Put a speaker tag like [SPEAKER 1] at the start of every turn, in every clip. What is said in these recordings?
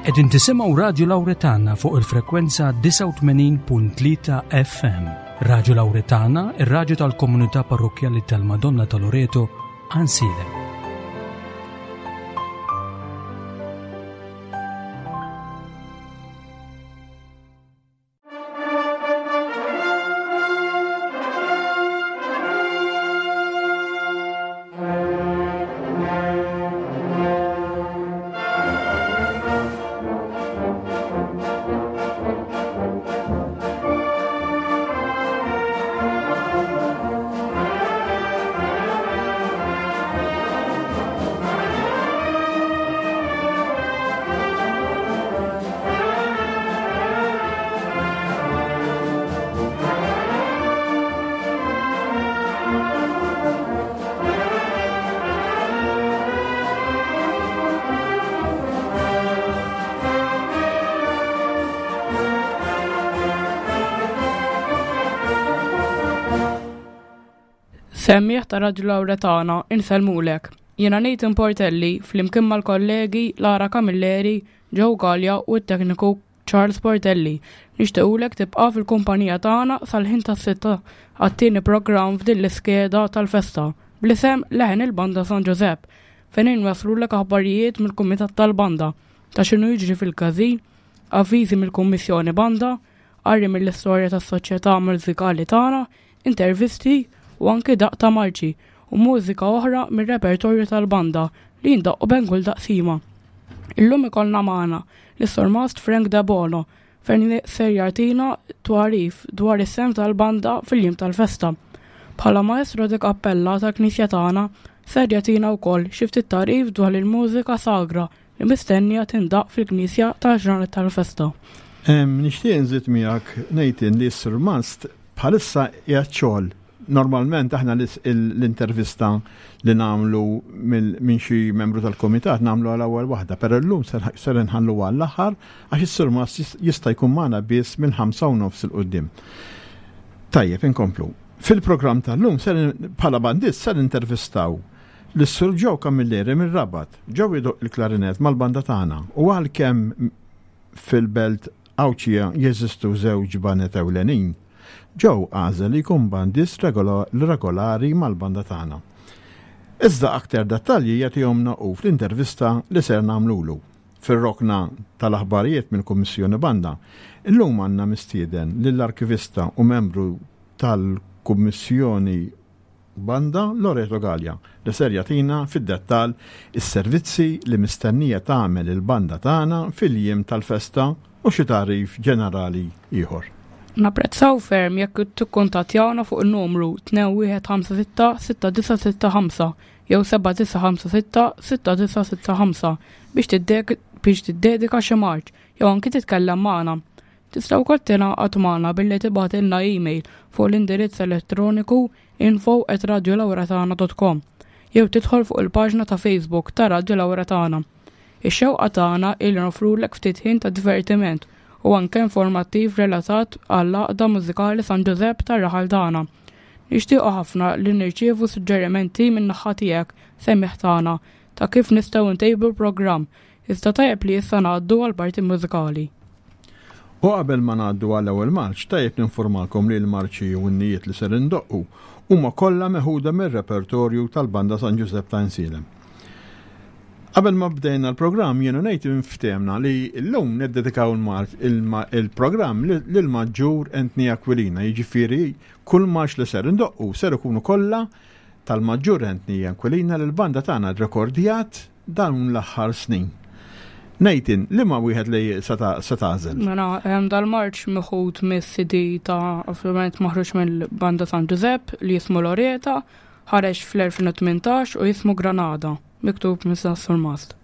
[SPEAKER 1] Qegħdin tisimgħu Radju Lawretana fuq il-frekwenza 89.3 FM. Radju Lawretana, ir-radju tal-komunità parrokkjali tal-Madonna ta' Loreto, Għansielem.
[SPEAKER 2] Semmiegħ ta' Radju Lawretana, insellmulek. Jiena Nathan Portelli, flimkien mal-kollegi Lara Camilleri, Joe Galea u t-tekniku Charles Portelli. Nixtiequlek tibqa' fil-kumpanija tagħna sal-ħin tas-sitta għat-tieni programm f'din l-iskeda tal-festa, bl-isem Leħen il-Banda San Ġużepp, fejn inwasslulek aħbarijiet mill-Kumitat tal-Banda ta' x'inhu jiġri fil-każin, avviżi mill-Kummissjoni Banda, qari mill-istorja tas-soċjetà mużikali tagħna, intervisti u anki daqq ta' marċi u mużika oħra mir-repertorju tal-banda li jindaqqu bejn kull taqsima. Illum ikollna magħna lis-Surmast Frank Debono fejn ser jagħtina tagħrif dwar is-sehem tal-banda fil-jiem tal-festa. Bħala maestro di cappella tal-Knisja tagħna ser jagħtina wkoll xi ftit tagħrif dwar il-mużika sagra li mistennija tindaqq fil-Knisja tal-ġranet tal-festa.
[SPEAKER 3] Nixtieq nżid miegħek Nathan li s-Surmast bħalissa qiegħed xogħol. Normalment aħna l-intervista li nagħmlu minn xi membru tal-kumitat nagħmlu għal ewwel waħda, però llum ser inħallu għall-aħħar għax is-Surmast jista' jkun magħna biss mill-ħamsa u nofs 'il quddiem. Tajjeb, inkomplu. Fil-programm tal-lum bħala bandist ser intervistaw lis-Sur Joe Camilleri mir-Rabat. Joe jdoqq il-klarinett mal-banda tagħna u għalkemm fil-belt Għawdxija jeżistu żewġ baned ewlenin, Joe għażel li jkun bandist regolari mal-banda tagħna. Iżda aktar dettalji jagħtihomna hu fl-intervista li ser nagħmlulu. Fir-rokna tal-aħbarijiet mill-Kummissjoni Banda, illum għandna mistieden lill-arkivista u membru tal-Kummissjoni Banda, Loreto Galea, li ser jagħtina fid-dettall is-servizzi li mistennija tagħmel il-banda tagħna fil-jiem tal-festa u xi tagħrif ġenerali ieħor.
[SPEAKER 2] Napprezzaw ferm jekk tikkuntattjawna fuq in-numru 2156 6965 jew 7956 6965 biex tiddedika xi marċ jew anki titkellem magħna. Tista' wkoll tingħaqad magħna billi tibgħatilna email fuq l-indirizz elettroniku info@radiolawratana.com jew tidħol fuq il-paġna ta' Facebook ta' Radio Lawratana. Ix-xewqa tagħna hi li nofrulek ftit ħin ta' divertiment u anke informattiv relatat għall-Għaqda Mużikali San Ġużepp tar-raħal tagħna. Nixtiequ ħafna li nirċievu suġġerimenti min-naħa tiegħek, semmiegħ tagħna, ta' kif nistgħu ntejbu l-programm Iżda tajjeb li issa ngħaddu għall-parti mużikali.
[SPEAKER 3] U qabel ma ngħaddu għall-ewwel marċ, tajjeb ninfurmakom li l-marċi u innijiet li ser indoqqu huma kollha meħuda mir-repertorju tal-Banda San Ġużepp ta' Għajnsielem. Qabel ma bdejna l-programm jien u Nathan ftehmna li llum niddedikaw il-programm lill-Maġġur Anthony Aquilina, jiġifieri kull marċ li ser indoqqu ser ikunu kollha tal-Maġġur Anthony Aquilina li l-banda tagħna rrekordjat dawn l-aħħar snin. Nathan, liema wieħed li se tagħżel?
[SPEAKER 2] Mela, dal-marċ meħud mis-CD ta' ovvjament maħruġ mill-Banda San Ġużepp li jismu Loreta, ħareġ fl-2018 u jismu Granada, miktub minn Surmast.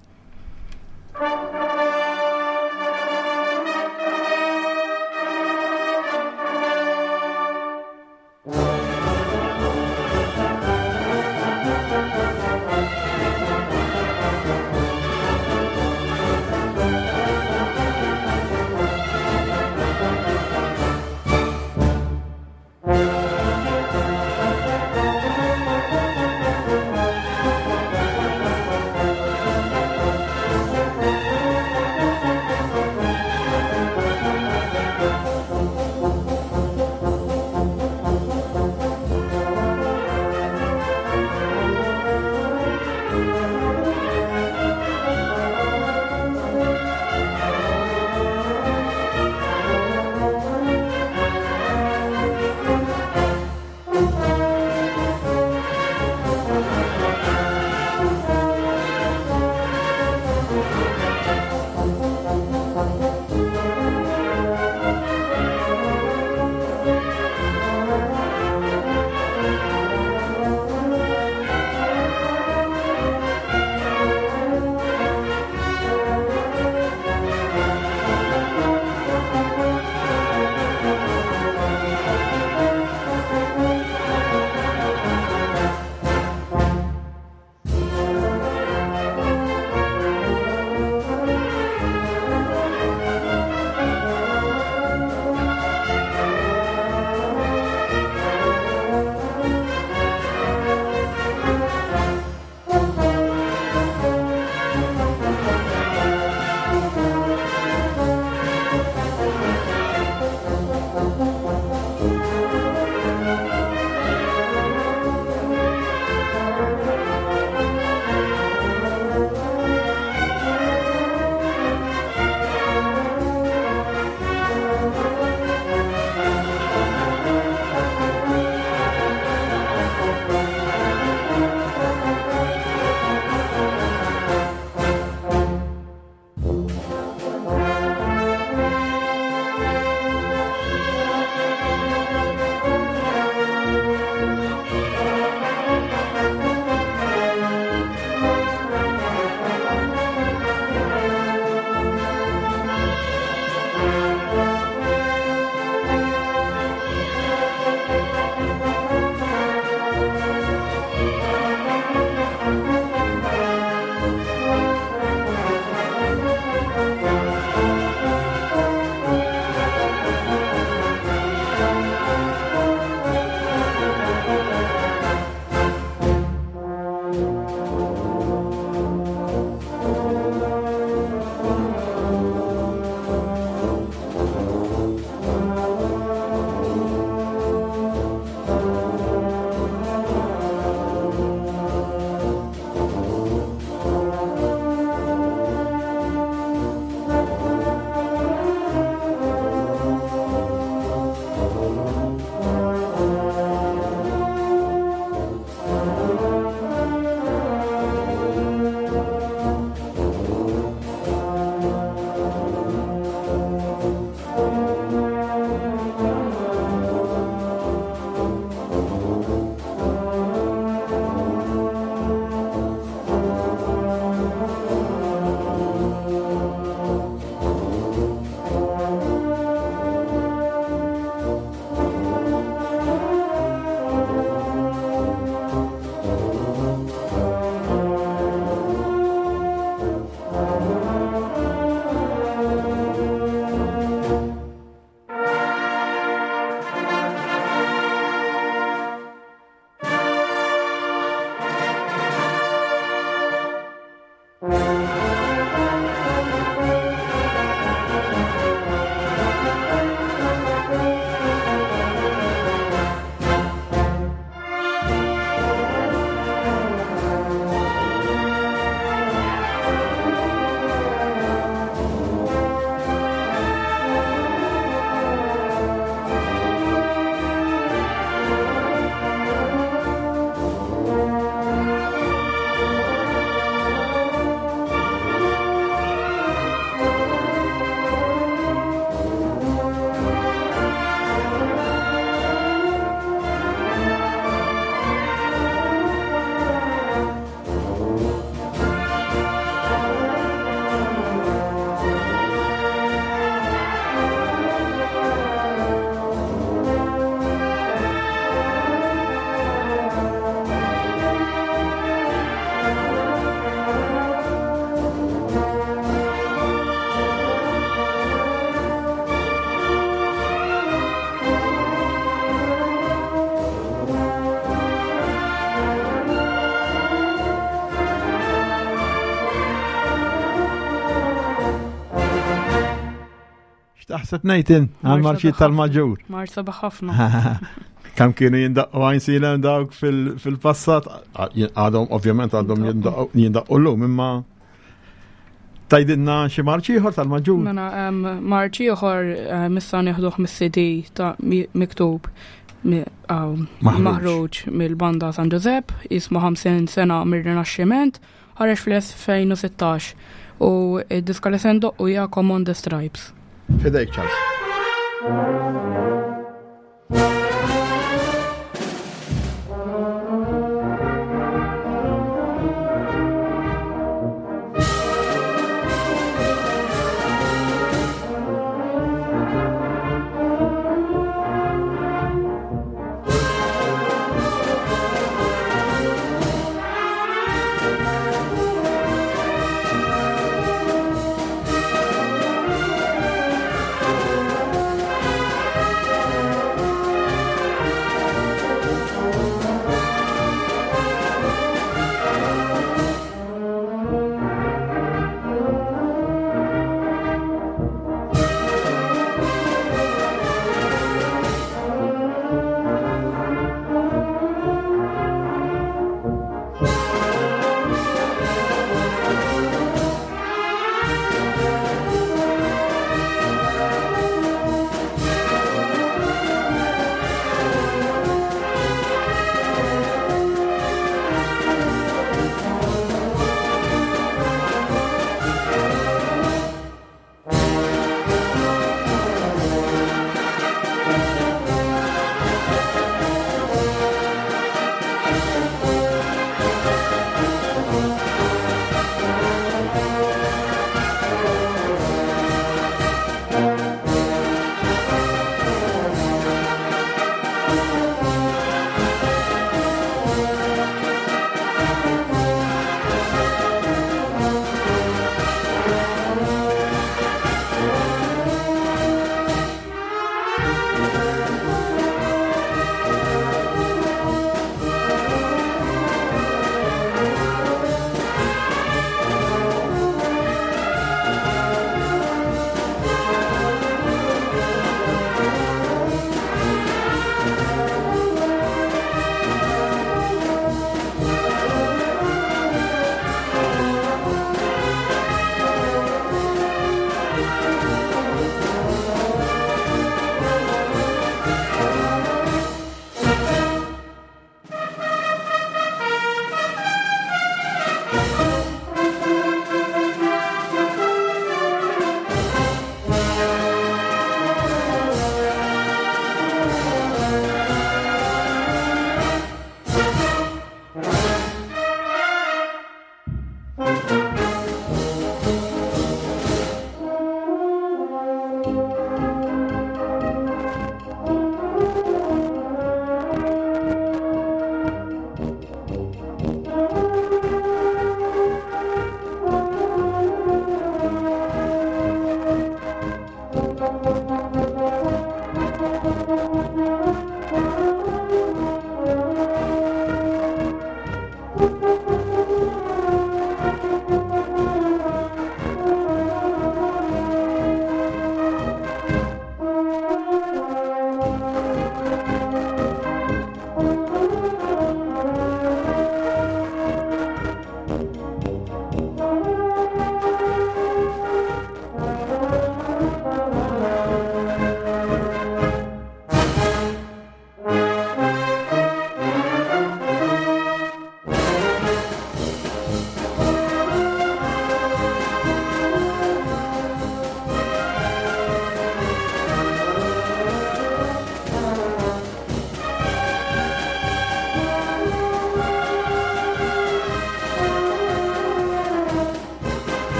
[SPEAKER 3] taħseb Nathan għal-marċijiet tal-maġġur.
[SPEAKER 2] Marċ sabiħ ħafna.
[SPEAKER 3] Kam kienu jindaqqu għajnsilem dawk fil-passat, għadhom ovvjament għadhom jindaqqu l-lum, imma tajdinna xi marċ ieħor tal-maġġur.
[SPEAKER 2] Mela marċ ieħor eh, missa nieħduh mis-CD ta' miktub maħruġ mill-banda San Giuseppe, jismu 50 sena mir-Rinaxximent, Ħareġ fl-2016 u d-diska li se ndoqqu hija Come on the Stripes.
[SPEAKER 3] Fidejk Charles.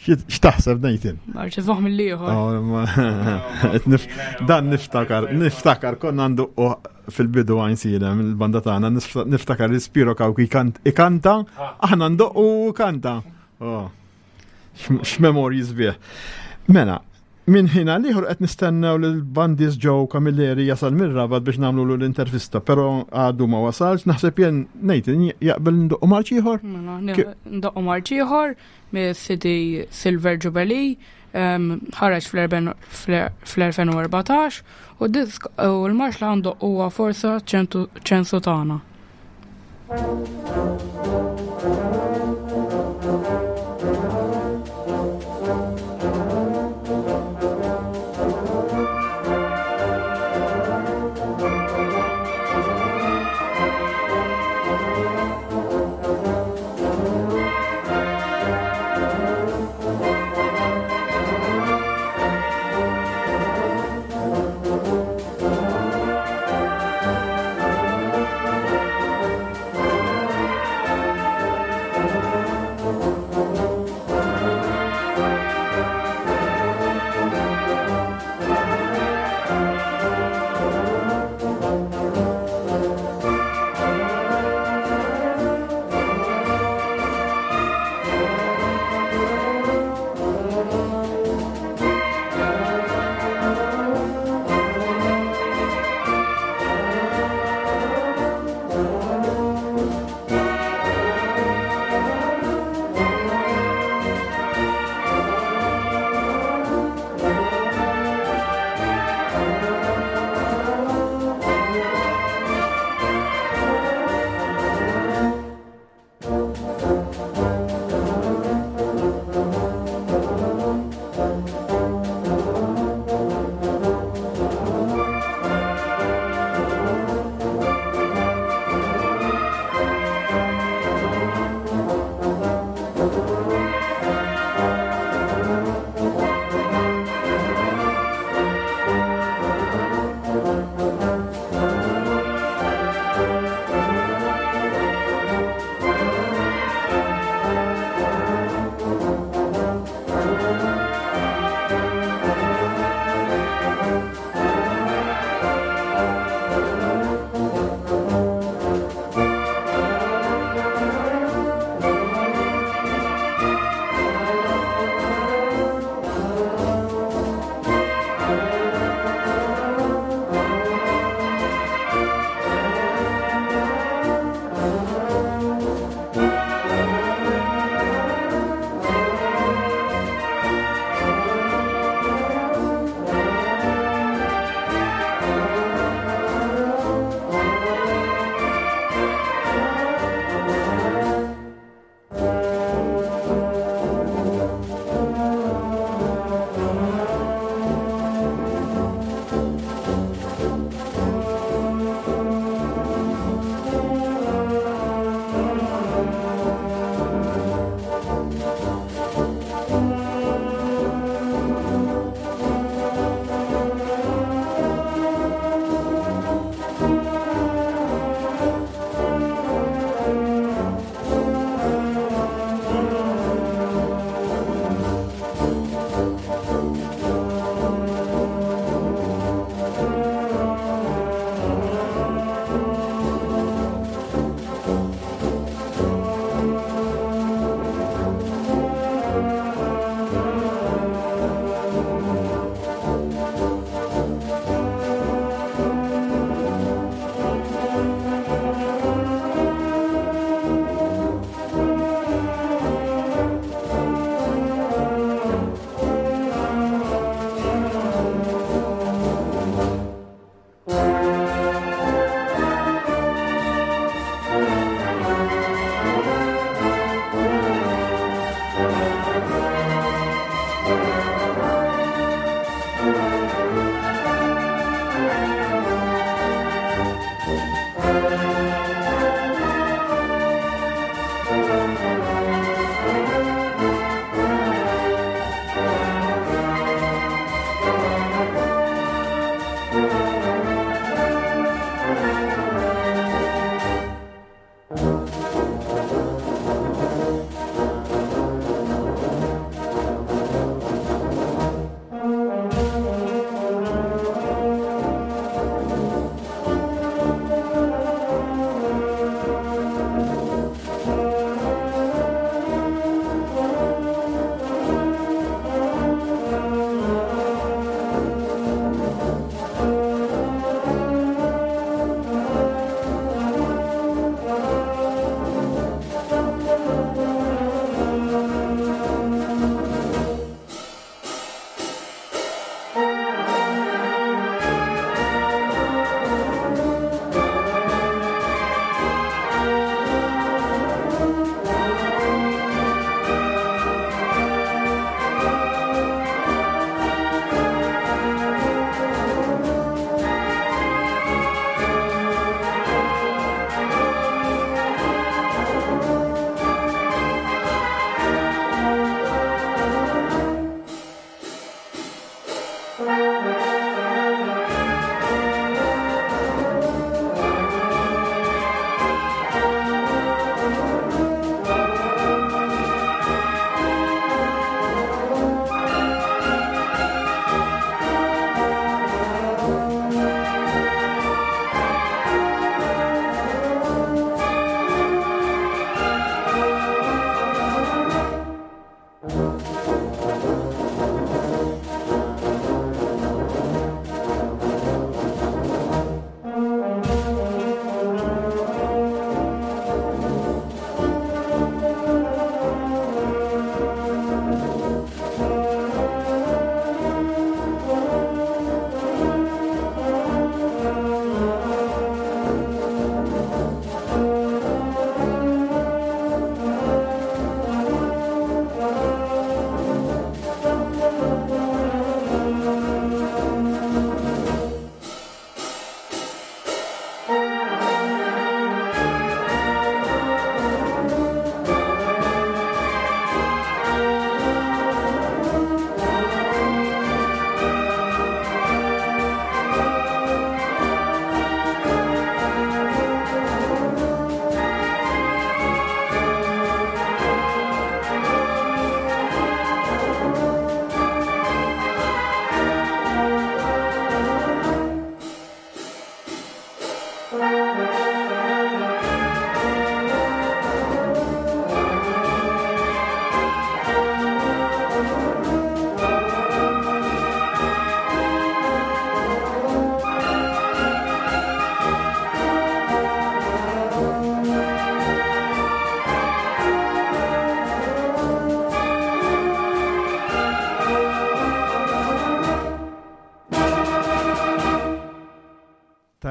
[SPEAKER 3] X'taħseb Nathan?
[SPEAKER 2] Marċi fuq mill-ieħor.
[SPEAKER 3] Oh, dan niftakar, niftakar konna għandu fil-bidu għajn silem il-banda tagħna niftakar li Spiro Kawki ikanta, ah. aħna ndoqqu u kanta. Oh, x'memorji sbieħ. Mela, minn ħin għal ieħor qed nistennew li l-bandis Joe Camilleri jasal mir-Rabat biex nagħmlu l-intervista, però għadu ma wasalx, naħseb jien Nathan jaqbel ndoqqu marċ ieħor.
[SPEAKER 2] Mela, ndoqqu marċ ieħor mis-CD Silver Jubilee ħareġ fl-2014 u l-marx li għandu huwa Forza Ċensu Tagħna.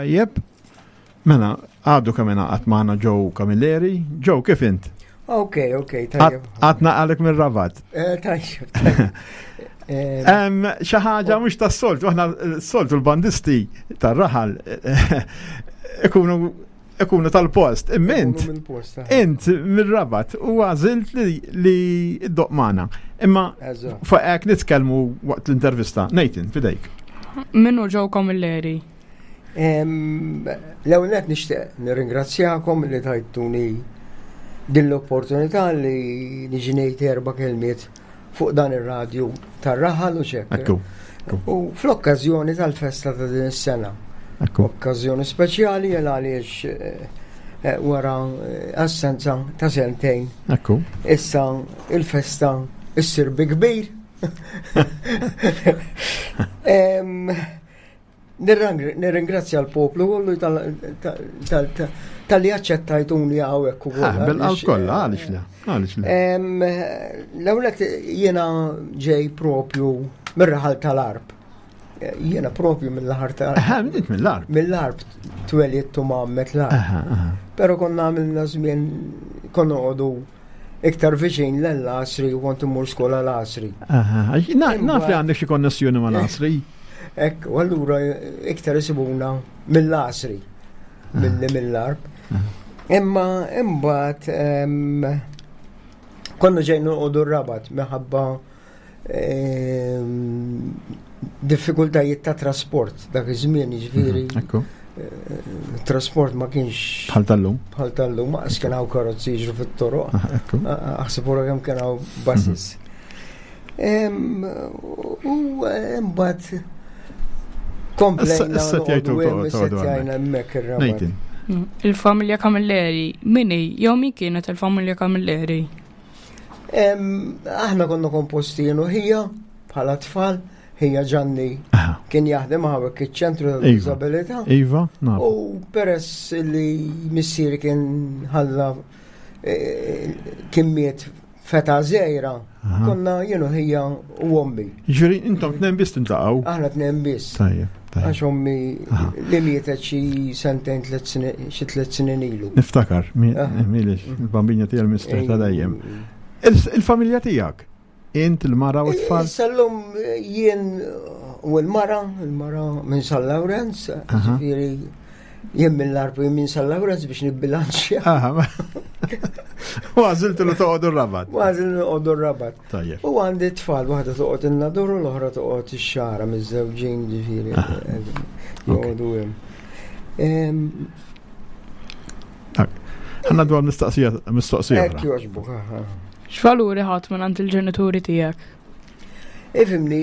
[SPEAKER 3] Tajjeb. Mela, għadu kemm ingħaqad magħna Joe Camilleri. Joe, kif int?
[SPEAKER 4] Ok, ok, tajjeb.
[SPEAKER 3] Għatna għalek mir-rabat.
[SPEAKER 4] Eh, tajjeb, tajjeb.
[SPEAKER 3] Eh, xi ħaġa mhux tas-soltu, aħna s-soltu l-bandisti tar-raħal ikunu ikunu tal-post. Imma int, mir-rabat u għażilt li id-doq magħna. Imma fuq hekk nitkellmu waqt l-intervista. Nathan, fidejk.
[SPEAKER 2] Minnu Joe Camilleri?
[SPEAKER 4] L-ewwel nett nixtieq nirringrazzjakom li tajtuni din l-opportunità li niġi ngħid erba' kelmiet fuq dan ir-radju tar-raħal u xekk. U fl-okkażjoni tal-festa ta' din is-sena. Okkażjoni speċjali għal għaliex eh, eh, wara eh, assenza ta' sentejn. Issa il-festa issir bi kbir. Nirringrazzja l-poplu kollu tal-li aċċettajtuni hawnhekk
[SPEAKER 3] ukoll. Ah, bil-qalb kollha, għaliex le? Għaliex le?
[SPEAKER 4] L-ewwel jiena ġej propju mir-raħal tal-Arb. Jiena propju mill-raħal
[SPEAKER 3] tal-Arb. Ah, mill-Arb.
[SPEAKER 4] Mill-Arb twelidt u mammet l-Arb. Però konna għamilna żmien konna noqogħdu iktar viċin l-Għasri u kont immur skola l-Għasri.
[SPEAKER 3] Naf li għandek xi konnessjoni ma' l-Għasri.
[SPEAKER 4] Ekk, u allura iktar isibuna mill-Għasri milli mill-Arb. Imma imbagħad konna ġejn noqogħdu r-Rabat minħabba Ehm, diffikultajiet ta' trasport dak iż-żmien jiġifieri.
[SPEAKER 3] Mhm,
[SPEAKER 4] eh, trasport ma kienx
[SPEAKER 3] bħal tal-lum.
[SPEAKER 4] Bħal tal-lum, ma kien hawn karozzi jiġru fit-toroq. Ah, Aħseb wara kemm kien hawn buses. Mhm. Ehm, u eh, mbagħad komplejna.
[SPEAKER 3] Issa
[SPEAKER 4] tgħidu hemmhekk ir-rabat.
[SPEAKER 2] Mm, il-familja Camilleri, minni, jew min kienet il-familja Camilleri?
[SPEAKER 4] Aħna konna komposti jien u ħija bħala tfal, ħija Ġanni kien jaħdem hawnhekk iċ-ċentru
[SPEAKER 3] Iva.
[SPEAKER 4] tal-diżabilità.
[SPEAKER 3] Iva, naf.
[SPEAKER 4] U peress li missieri kien ħalla eh, kien miet feta żgħira, konna jien u ħija u ommi.
[SPEAKER 3] Ġifieri intom tnejn biss tintlaqgħu.
[SPEAKER 4] Aħna tnejn biss.
[SPEAKER 3] Tajjeb, tajjeb.
[SPEAKER 4] Għax ommi li mietet xi sentejn tliet snin xi tliet snin ilu.
[SPEAKER 3] Niftakar, milix, il-bambina tiegħi l-mister ta' dejjem. Il-familja tiegħek, int il-mara u t-tfal?
[SPEAKER 4] Sallum jien u l-mara, il-mara minn San Lawrenz, ġifieri jien mill-arbu jien minn San Lawrenz biex nibbilanċja.
[SPEAKER 3] U għażilt li toqgħodu r-rabat.
[SPEAKER 4] U għażilt li noqogħdu r-rabat.
[SPEAKER 3] Tajjeb.
[SPEAKER 4] U għandi tfal, waħda toqgħod in-nadur u l-oħra toqgħod ix-xara miż-żewġin ġifieri. Joqogħdu hemm.
[SPEAKER 3] Ħanna dwar mistoqsija mistoqsija.
[SPEAKER 4] Hekk jogħġbuk.
[SPEAKER 2] X'valuri ħadd minn għand il-ġenituri tiegħek?
[SPEAKER 4] Ifimni,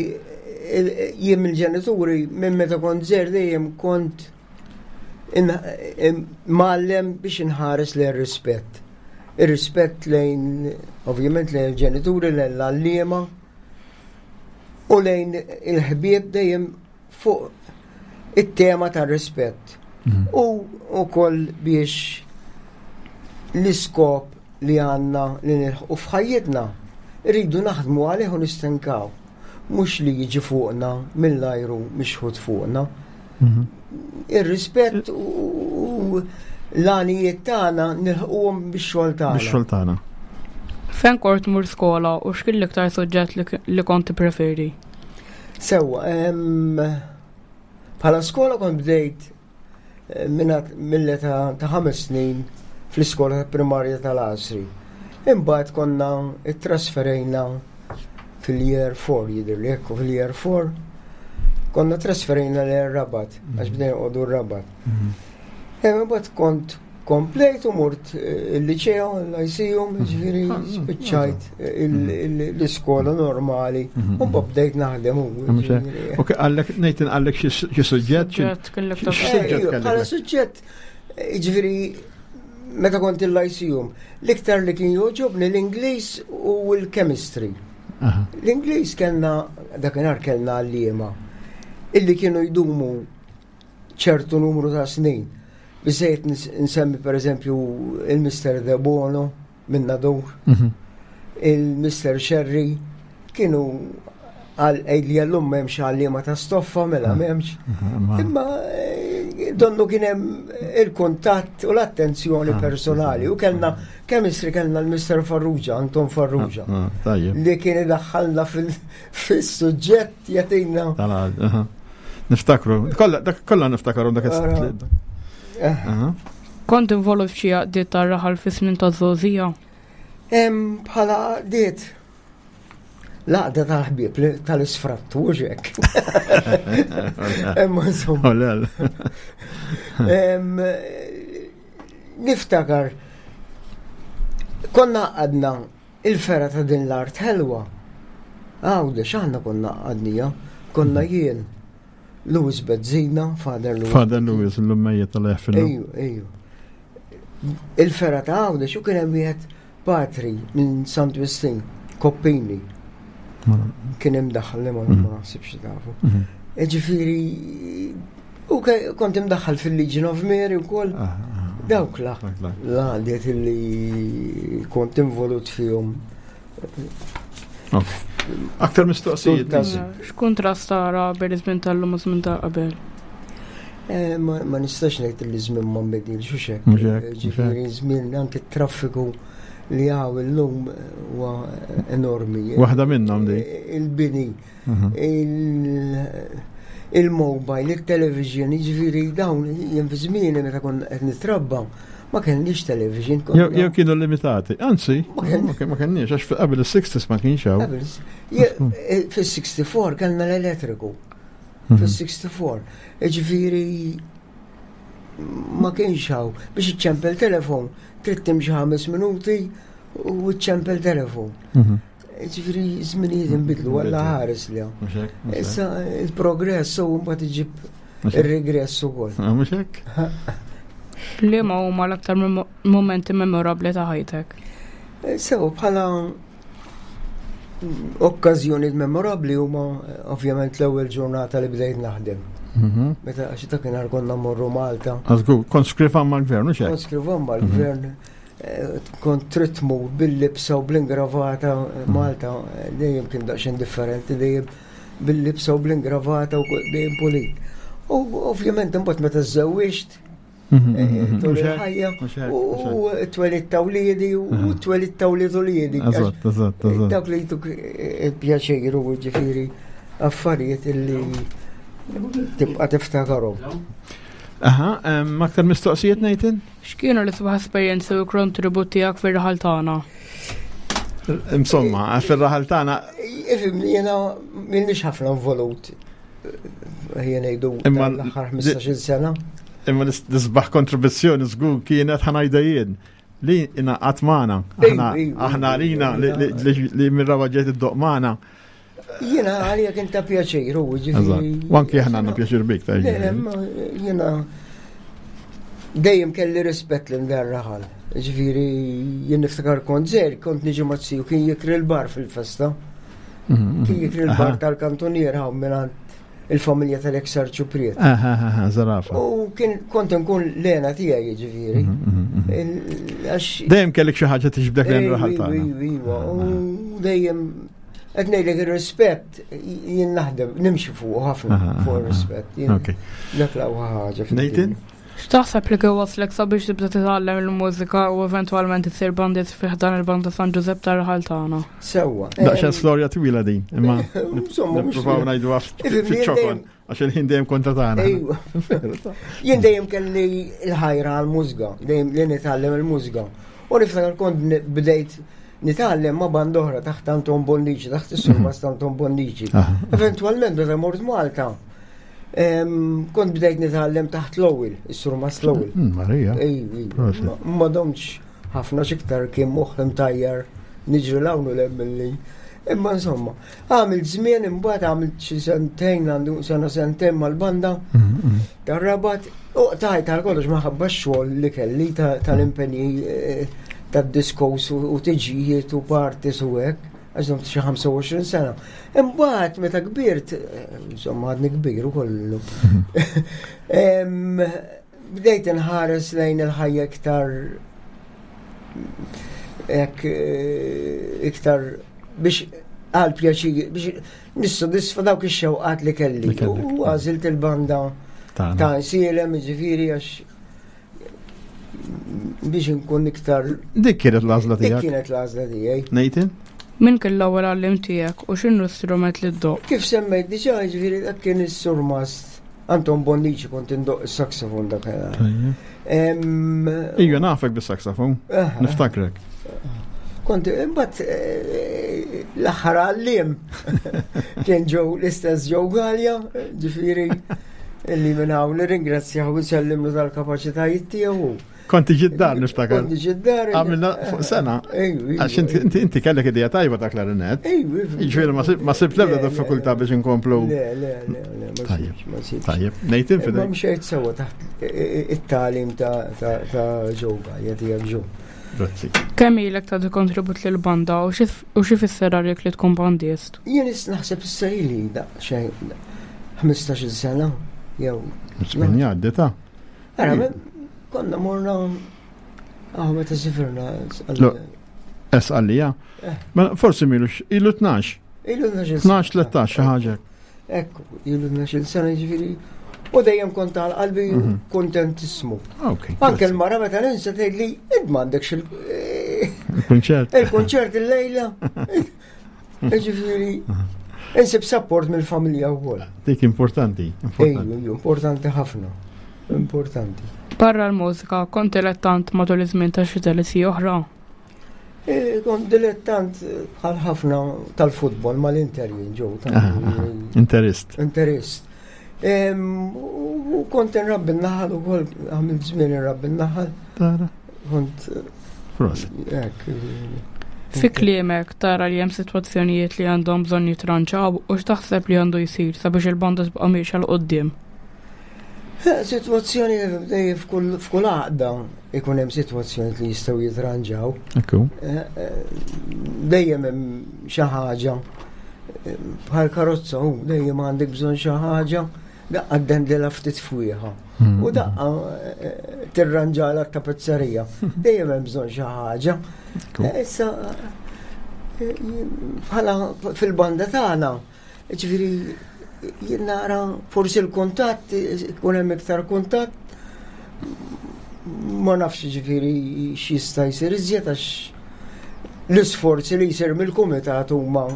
[SPEAKER 4] jien mill-ġenituri minn meta kont żgħir dejjem kont mgħallem biex inħares lejn rispett. Ir-rispett lejn, ovvjament lejn il-ġenituri, lejn l-għalliema u lejn il-ħbieb dejjem fuq it-tema tar-rispett. Mhm. U wkoll biex l-iskop li għandna li nilħqu f'ħajjitna rridu naħdmu għalih u nistenkaw. Mhux li jiġi fuqna mill-ajru mixħut fuqna. Mhm. Ir-rispett u l-għanijiet tagħna nilħquhom bix-xogħol tagħna.
[SPEAKER 3] Bix-xogħol tagħna.
[SPEAKER 2] Fejn kort mur skola u x'kien l-iktar suġġett li kont tippreferi?
[SPEAKER 4] Sewwa, bħala skola kont bdejt eh, mill-età ta' ħames snin fl-iskola primarja tal-Għasri. Imbagħad konna ittrasferejna fil-year 4 jidher li hekk fil-year 4 konna trasferejna l rabat għax bdejna noqogħdu r-Rabat. Mhm. Imbagħad kont komplejt u mort eh, il-liceo, l-lyceum, mhm. ġifieri ah, spiċċajt eh, mhm. l-iskola normali, mhm. u bdejt naħdem u.
[SPEAKER 3] Ok, għallek, nejtin għallek xi suġġett?
[SPEAKER 4] Suġġett Bħala suġġett, eh, ġifieri meta kont il-lyceum, l-iktar li kien joġobni l-Ingliż u l-chemistry. L-Ingliż kellna, dakinhar kellna għalliema, illi kienu jdumu ċertu numru ta' snin. Biżejjed nsemmi per eżempju il-Mr. De Bono minn Nadur, mhm. il-Mr. Sherry, kienu Għal li għallum m'hemmx għalliema ta' stoffa mela ah. m'hemmx. Ah, Imma eh, donnu kien hemm il-kuntatt u l-attenzjoni ah, personali u kellna chemistry kellna l-Mr. Farrugia, Anton Farrugia. Li kien idaħħalna fil-suġġett jagħtina.
[SPEAKER 3] Niftakru, kollha niftakru dak is
[SPEAKER 2] eh. Kont involut f'xi għaqdiet tar-raħal fi snin ta' żgħożija?
[SPEAKER 4] Bħala għaqdiet L-għaqda tal-ħbieb tal-isfrattu u xek. Imma insomma. Niftakar, konna għadna il-fera ta' din l-art ħelwa. Għawde, xaħna konna għadnija, konna jien, Louis Bezzina, Father Louis.
[SPEAKER 3] Father Louis, l-lummejja tal-eħfil.
[SPEAKER 4] Ejju, ejju. Il-fera ta' għawde, xu kien hemm wieħed Patri minn Sant Wistin, Koppini. Kien imdaħħal li ma mhm. naħsibx tafu. Mhm. E ġifieri u kont imdaħħal fil-Legion of Mary wkoll. Ah, ah, ah. Dawk la. L-għadiet li kont involut fihom.
[SPEAKER 3] Aktar mistoqsijiet.
[SPEAKER 2] X'kuntrast tara bejn iż-żmien tal-lum u żmien ta' qabel?
[SPEAKER 4] Eh, ma nistax ngħid li żmien ma nbidilx u xek. Ġifieri żmien anke traffiku li hawn illum huwa enormi.
[SPEAKER 3] Waħda minnhom di.
[SPEAKER 4] Eh, il-bini, mhm. il-mobile, il-television, ġifieri dawn jien fi żmieni meta kont qed nitrabba ma kellniex television.
[SPEAKER 3] Jew kienu limitati. Anzi, ma kellniex, għax qabel is-60s ma kienx hawn.
[SPEAKER 4] Eh, fis-64 kellna l-elettriku. Mhm. Fis-64. Ġifieri ma kienx hawn biex iċċempel telefon, trid timxi ħames minuti u iċċempel telefon. Mhm. Ġifieri żminijiet inbidlu għalla ħares li Issa il-progress u mbagħad iġib ir-regress ukoll.
[SPEAKER 3] Ah, mhux hekk?
[SPEAKER 2] Liema huma l-aktar momenti memorabbli ta' ħajtek?
[SPEAKER 4] Eh, sew bħala Okkażjonijiet memorabbli huma ovvjament l-ewwel ġurnata li bdejt naħdem. Mhm. Meta għax dakinhar konna mmorru Malta.
[SPEAKER 3] Għażgur, kont skrivan mal-gvern, u
[SPEAKER 4] Kont skrivan mal-gvern. Mhm. Eh, kont trid tmur bil-libsa u bl-ingravata eh, mhm. Malta eh, dejjem kien daqsxejn differenti, dejjem bil-libsa u bl-ingravata u dejjem pulit. U ovvjament imbagħad meta żżewwiġt, Tul il-ħajja u t-twelid ta' wliedi u t-twelid ta' wlied uliedi. Dawk li jtuk il-pjaċir u ġifieri affarijiet illi tibqa' tiftakarhom.
[SPEAKER 3] Aha, aktar mistoqsijiet Nathan?
[SPEAKER 2] X'kienu l-isbaħ esperjenzi u kontribut tiegħek fir-raħal tagħna?
[SPEAKER 3] Insomma, fir-raħal tagħna.
[SPEAKER 4] Ifimni jiena m'ilniex ħafna involut ħija ngħidu imma l-aħħar 15-il sena.
[SPEAKER 3] Imma l-isbaħ kontribuzzjoni żgur kienet ħanajda jien li ingħaqad magħna. Aħna għalina li minn ġiet id-doq magħna.
[SPEAKER 4] Jiena għalija kien ta' pjaċir u
[SPEAKER 3] ġifieri. U anki aħna għandna pjaċir bik ta'
[SPEAKER 4] Jiena dejjem kelli rispett lil dan raħal. Ġifieri jien niftakar kont żgħir, kont niġi mazziju kien jikri l-bar fil-festa. Mhm, Kien jikri l-bar tal-kantonier hawn mingħand il-familja tal-ex arċupriet.
[SPEAKER 3] Zarafa.
[SPEAKER 4] U kien kont nkun l-ena tiegħi jiġifieri. Mhm,
[SPEAKER 3] mhm, dejjem kellek xi ħaġa tiġbdek lejn raħal tagħna.
[SPEAKER 4] Iva, u dejjem qed ngħidlek ir-rispett jien naħdem nimxi fuq ħafna fuq ir-rispett. Dak l-aqwa ħaġa.
[SPEAKER 3] Nathan?
[SPEAKER 2] X'taħseb li kien wasslek sabiex tibda titgħallem il-mużika u eventwalment issir bandist fi ħdan il-Banda San Ġużepp tar-raħal tagħna?
[SPEAKER 4] Sewwa.
[SPEAKER 3] Daqsxejn storja twila din, imma insomma nippruvaw ngħidu fiċ-ċokon għax il-ħin dejjem kontra tagħna.
[SPEAKER 4] Jien dejjem kelli l-ħajra għall-mużika, dejjem li nitgħallem il-mużika. U niftakar kont bdejt nitgħallem ma' banda oħra taħt Anton Bonnici, taħt is-surmast Anton Bonnici. Eventwalment meta mort Malta, Kont bdejt nitgħallem taħt l-ewwel, is-sur Mas l-ewwel.
[SPEAKER 3] Mm, Marija.
[SPEAKER 4] Ma domx ħafna xiktar kien moħħ imtajjar niġri l-hawn u lem milli. Imma insomma, għamilt żmien imbagħad għamilt xi sentejn għandu sena sentejn mal-banda mm, mm. tar-rabat u tajt għal kollox maħabba x-xogħol li kelli tal-impenji eh, tad-diskos u tiġijiet u parties u hekk għax domt xi 25 sena. Imbagħad meta kbirt, insomma għadni kbir ukoll. Bdejt inħares lejn il-ħajja iktar hekk eh, iktar biex għal pjaċir biex nissodisfa dawk ix-xewqat li kelli. U għażilt il-banda ta' nsielem, ġifieri għax biex inkun iktar.
[SPEAKER 3] Dik kienet l-għażla tiegħek.
[SPEAKER 4] Dik kienet l-għażla tiegħi.
[SPEAKER 3] Nathan?
[SPEAKER 2] Min kien l-ewwel għallim tiegħek u x'inhu strument li ddoq?
[SPEAKER 4] Kif semmejt diġà, ġifieri dak kien is-surmast Anton Bonnici kont indoq is-saxofon dak.
[SPEAKER 3] Ija nafek bis-saxofon, niftakrek.
[SPEAKER 4] Kont imbagħad eh, l-aħħar għallim kien ġew l-istess ġew Galja, ġifieri illi minn hawn nirringrazzjahu u nsellimlu tal-kapaċitajiet tiegħu.
[SPEAKER 3] Konti ġiddar niftakar.
[SPEAKER 4] Konti ġiddar.
[SPEAKER 3] Għamilna fuq sena. Għax inti kellek idea tajba ta' klarinet. Ġifieri ma sibt l-ebda diffikultà biex inkomplu.
[SPEAKER 4] Le, le, le, le, ma sibx.
[SPEAKER 3] Tajjeb, Nathan fidejk.
[SPEAKER 4] Ma mxejt sewa taħt it-talim ta' ġewwa, jadijak ġew.
[SPEAKER 3] Grazzi.
[SPEAKER 2] Kemm ilek tagħti kontribut lil banda u xi fisser għalik li tkun bandist?
[SPEAKER 4] Jien naħseb issa ili daqsxejn 15-il sena jew.
[SPEAKER 3] Żmien jgħaddi ta'.
[SPEAKER 4] Ara, konna morna aħ meta sifirna.
[SPEAKER 3] Es għalija. Eh. Mela, forsi milu ilu 12.
[SPEAKER 4] Ilu 12.
[SPEAKER 3] 12, 13 xi ħaġa.
[SPEAKER 4] Ekku, ilu 12 sena ġifieri. U dejjem kont għal qalbi mhm. kontentissmu. Anke l-mara meta ninsa tgħidli int m'għandekx
[SPEAKER 3] il-kunċert.
[SPEAKER 4] Il-kunċert il-lejla. Ġifieri, insib support mill-familja wkoll.
[SPEAKER 3] Dik importanti.
[SPEAKER 4] Importanti ħafna. Importanti.
[SPEAKER 2] Barra l-mużika, kont dilettant matul iż-żmien ta' xi telesi oħra?
[SPEAKER 4] E, kont dilettant bħal ħafna tal-futbol mal-Inter jien ġew.
[SPEAKER 3] Interist.
[SPEAKER 4] Interist. U kont nrabbi n-naħal ukoll għamilt żmien nrabbi n-naħal.
[SPEAKER 3] Tara.
[SPEAKER 4] Kont.
[SPEAKER 3] Prosit.
[SPEAKER 4] Hekk.
[SPEAKER 2] Fi kliemek tara li hemm sitwazzjonijiet li għandhom bżonn jitranċaw u x'taħseb li għandu jsir sabiex il-banda tibqa' miexa 'l quddiem?
[SPEAKER 4] Eh, sitwazzjoni dejjem f'kull għaqda ikun hemm sitwazzjoni li jistgħu jitranġaw.
[SPEAKER 3] Ekku.
[SPEAKER 4] Eh, eh, dejjem hemm xi ħaġa bħal karozza u dejjem għandek bżonn xi ħaġa daqqa ddendilha ftit fwieħa. Hmm. U daqqa eh, tirranġala t-tapezzerija. Dejjem hemm bżonn xi ħaġa. Eh, issa eh, bħala fil-banda tagħna, ġifieri jien nara forsi l-kuntatt ikun hemm iktar kuntatt ma nafx ġifieri x'jista' jsir iżjed għax l-isforzi li jsir mill-kumitat huma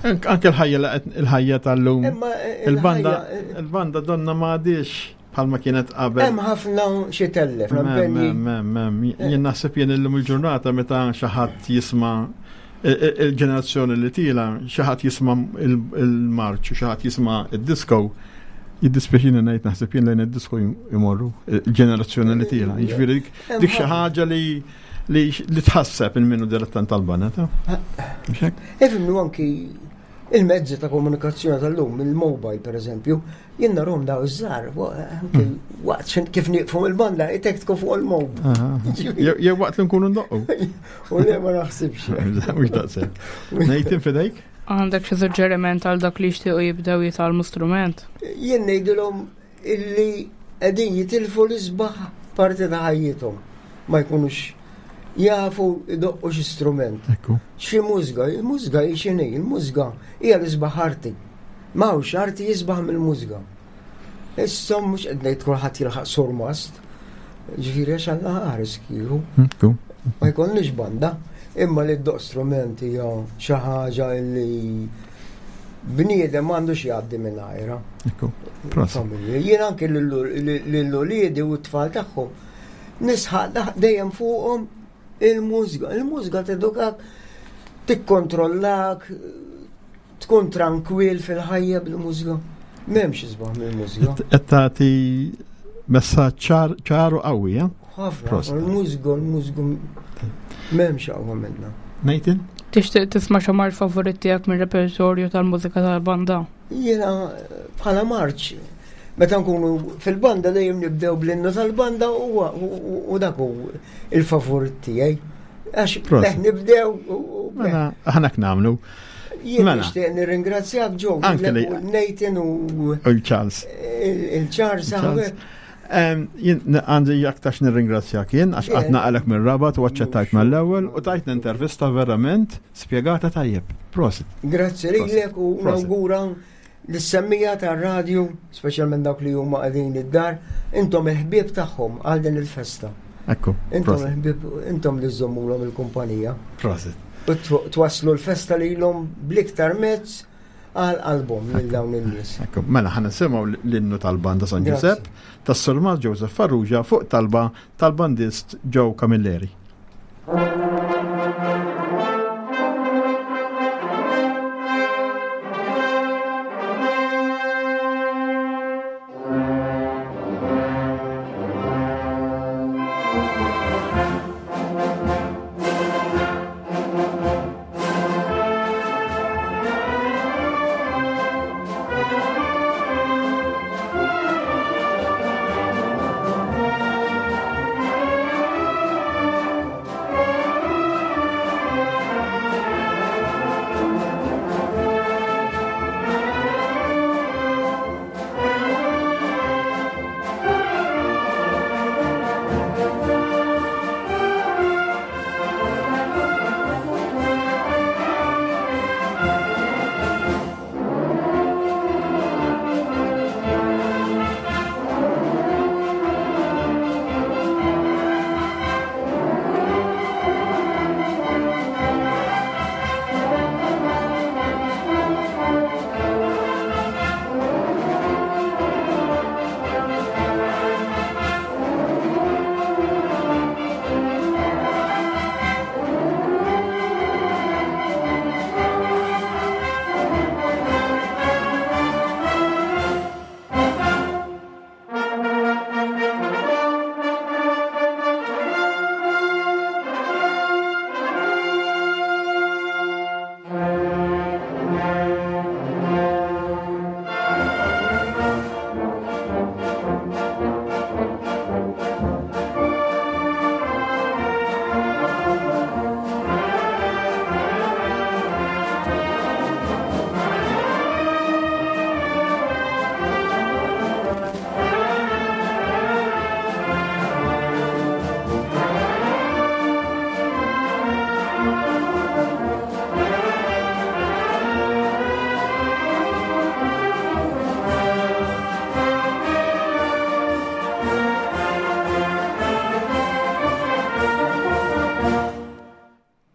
[SPEAKER 3] Anke l-ħajja il-ħajja tal-lum.
[SPEAKER 4] Eh,
[SPEAKER 3] il-banda il-banda donna ma għadix bħalma kienet qabel.
[SPEAKER 4] Hemm ħafna xi tellef.
[SPEAKER 3] Jien naħseb jien illum il-ġurnata meta xi ħadd jisma' il-ġenerazzjoni li tila xi ħadd jisma' il-marċ u xi ħadd jisma' id-disco, jiddispjaċini ngħid naħseb jien lejn id-disco jmorru il-ġenerazzjoni li tila. Jiġifieri dik xi ħaġa li li tħasseb il-minu dilettant tal-banda ta'
[SPEAKER 4] Ifimnu anki il-mezzi ta' komunikazzjoni tal-lum, il-mobile per eżempju, Jien narhom daw iż-żgħar, anke hmm. waqt kif nieqfu il-banda, itektku fuq il-mob.
[SPEAKER 3] Jew waqt li nkunu ndoqqu.
[SPEAKER 4] U le ma naħsibx.
[SPEAKER 3] Mhux daqshekk. Ngħid fidejk?
[SPEAKER 2] Għandek xi suġġeriment għal dak li jixtiequ jibdew jitgħallmu strument?
[SPEAKER 4] Jien ngħidilhom illi qegħdin jitilfu l-isbaħ parti ta' ħajjithom. Ma jkunux jafu idoqqu xi strument. Xi mużga, il-mużga hi x'inhi, il-mużga hija l-isbaħ arti. M'hawnx arti jisbaħ mill-mużga. Issa mhux qed ngħid kulħadd jilħaq surmast. Ġifieri għax Alla ħares kieku. Ma jkollniex banda, imma li ddoq strument hija xi ħaġa li bniedem m'għandux jgħaddi minn għajra. Familja. Jien anke lill-uliedi u t-tfal tagħhom nisħaq dejjem fuqhom il-mużga. Il-mużga tedukak, tikkontrollak, Tkun trankwil fil-ħajja bil-mużika. M'hemmx isbaħ mill-mużika.
[SPEAKER 3] Qed tagħti messaġġ ċar u qawwi, eh?
[SPEAKER 4] Ħafna. Il-mużika, il-mużika m'hemmx aqwa minnha.
[SPEAKER 3] Nathan?
[SPEAKER 2] Tixtieq tisma' xi marċ favorit tiegħek mir-repertorju tal-mużika tal-banda?
[SPEAKER 4] Jiena bħala marċ meta nkunu fil-banda dejjem nibdew bl-innu tal-banda u dak hu il-favorit tiegħi. Għax nibdew.
[SPEAKER 3] Mela, aħna namlu.
[SPEAKER 4] Jien mela. nixtieq nirringrazzjak ġo, Anke li Nathan u
[SPEAKER 3] il-Charles.
[SPEAKER 4] Il-Charles hawnhekk.
[SPEAKER 3] Jien għandi aktarx nirringrazzjak jien għax qatt naqalek mir-Rabat u aċċettajt mal-ewwel u tajtna intervista verament spjegata tajjeb. Prosit.
[SPEAKER 4] Grazzi lilek u nawgura lis-semmija tar-radju, speċjalment dawk li huma qegħdin id-dar, intom il-ħbieb tagħhom għal din il-festa.
[SPEAKER 3] Ekku.
[SPEAKER 4] Intom il-ħbieb, intom li żżommulhom il-kumpanija.
[SPEAKER 3] Prosit.
[SPEAKER 4] U twasslu l-festa lilhom bl-iktar mezz għal qalbhom lil dawn in-nies.
[SPEAKER 3] Ekku, mela ħa nisimgħu l-innu tal-banda San Ġużepp tas-Surmast Joseph Farrugia fuq talba tal-bandist Joe Camilleri.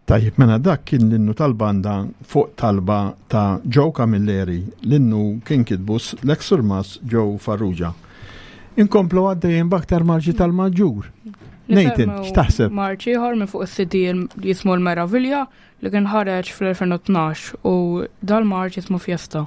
[SPEAKER 3] Tajjeb, mela dak kien l-innu tal-banda fuq talba ta' Joe Camilleri, l-innu kien kitbu l-eks surmast Joe Farrugia. Inkomplu għaddejjin b'aktar marċi tal-Maġġur. Nathan, x'taħseb?
[SPEAKER 2] Marċ ieħor minn fuq is-CD jismu l-Meravilja li kien ħareġ fl-2012 u dal-marċ jismu Fiesta.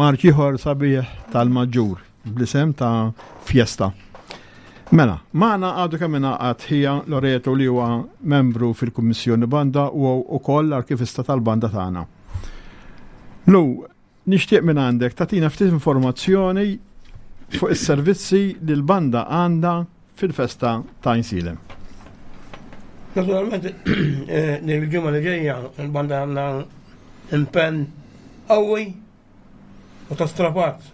[SPEAKER 3] Marċ ieħor sabiħ tal-Maġġur bl-isem ta' Fiesta. Mela, magħna għadu kemm ingħaqad ħija Loreto li huwa membru fil-Kummissjoni Banda u wkoll l-arkivista tal-banda tagħna. Lu, nixtieq minn għandek tagħtina ftit informazzjoni fuq is-servizzi li l-banda għandha fil-festa ta' Għajnsielem.
[SPEAKER 5] Naturalment, eh, nil-ġimgħa li ġejja l-banda għandna impenn qawwi u ta' strapazz.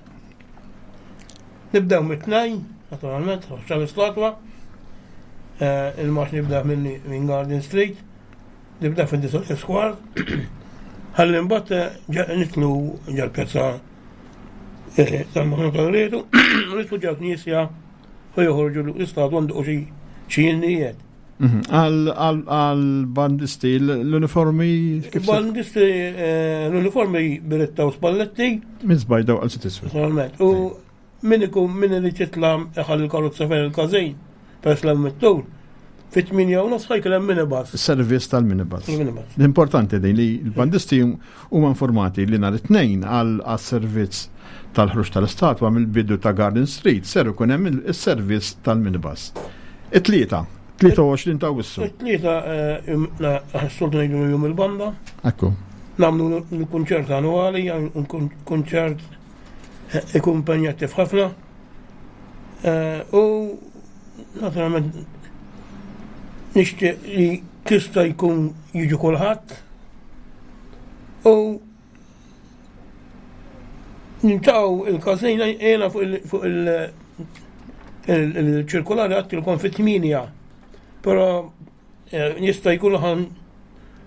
[SPEAKER 5] Nibdew mit-tnejn, naturalment, ħoxxa l-istatwa, eh, il-marx nibda minn Garden Street, nibda fid-disa square, ħalli mbagħad eh, nitlu ġal-pjazza eh, tal-Maħna tal-Rietu, nitlu ġal-Knisja u joħorġu l-istatwa nduqu xi jinnijiet.
[SPEAKER 3] Mhm. Għal-bandisti, l-uniformi
[SPEAKER 5] kif? Bandisti, eh, l-uniformi biretta u spalletti.
[SPEAKER 3] Minn zbajda u għal tiswi.
[SPEAKER 5] Naturalment. U min ikun min irid jitla iħalli l-karozza fejn il-każin, peress l mittur, fit-8 u nofs ħajkun hemm minibus.
[SPEAKER 3] Servizz tal-minibus. L-importanti din li l-bandisti huma informati li nhar it-tnejn għal servizz tal-ħruġ tal-istatwa mill-bidu ta' Garden Street ser ikun hemm is-servizz tal-minibus. It-tlieta, 23 ta' Awwissu.
[SPEAKER 5] It-tlieta eh, s-soltu ngħidu jum il-banda.
[SPEAKER 3] Ekku.
[SPEAKER 5] Nagħmlu l-kunċert annwali, kunċert eh, ikun impenjattiv ħafna. Eh, u naturalment nixtieq li tista' jkun jiġu kulħadd u nintaqgħu il-każin jiena fuq il-ċirkolari għattilkom fit-8 però eh, jista' jkun ħan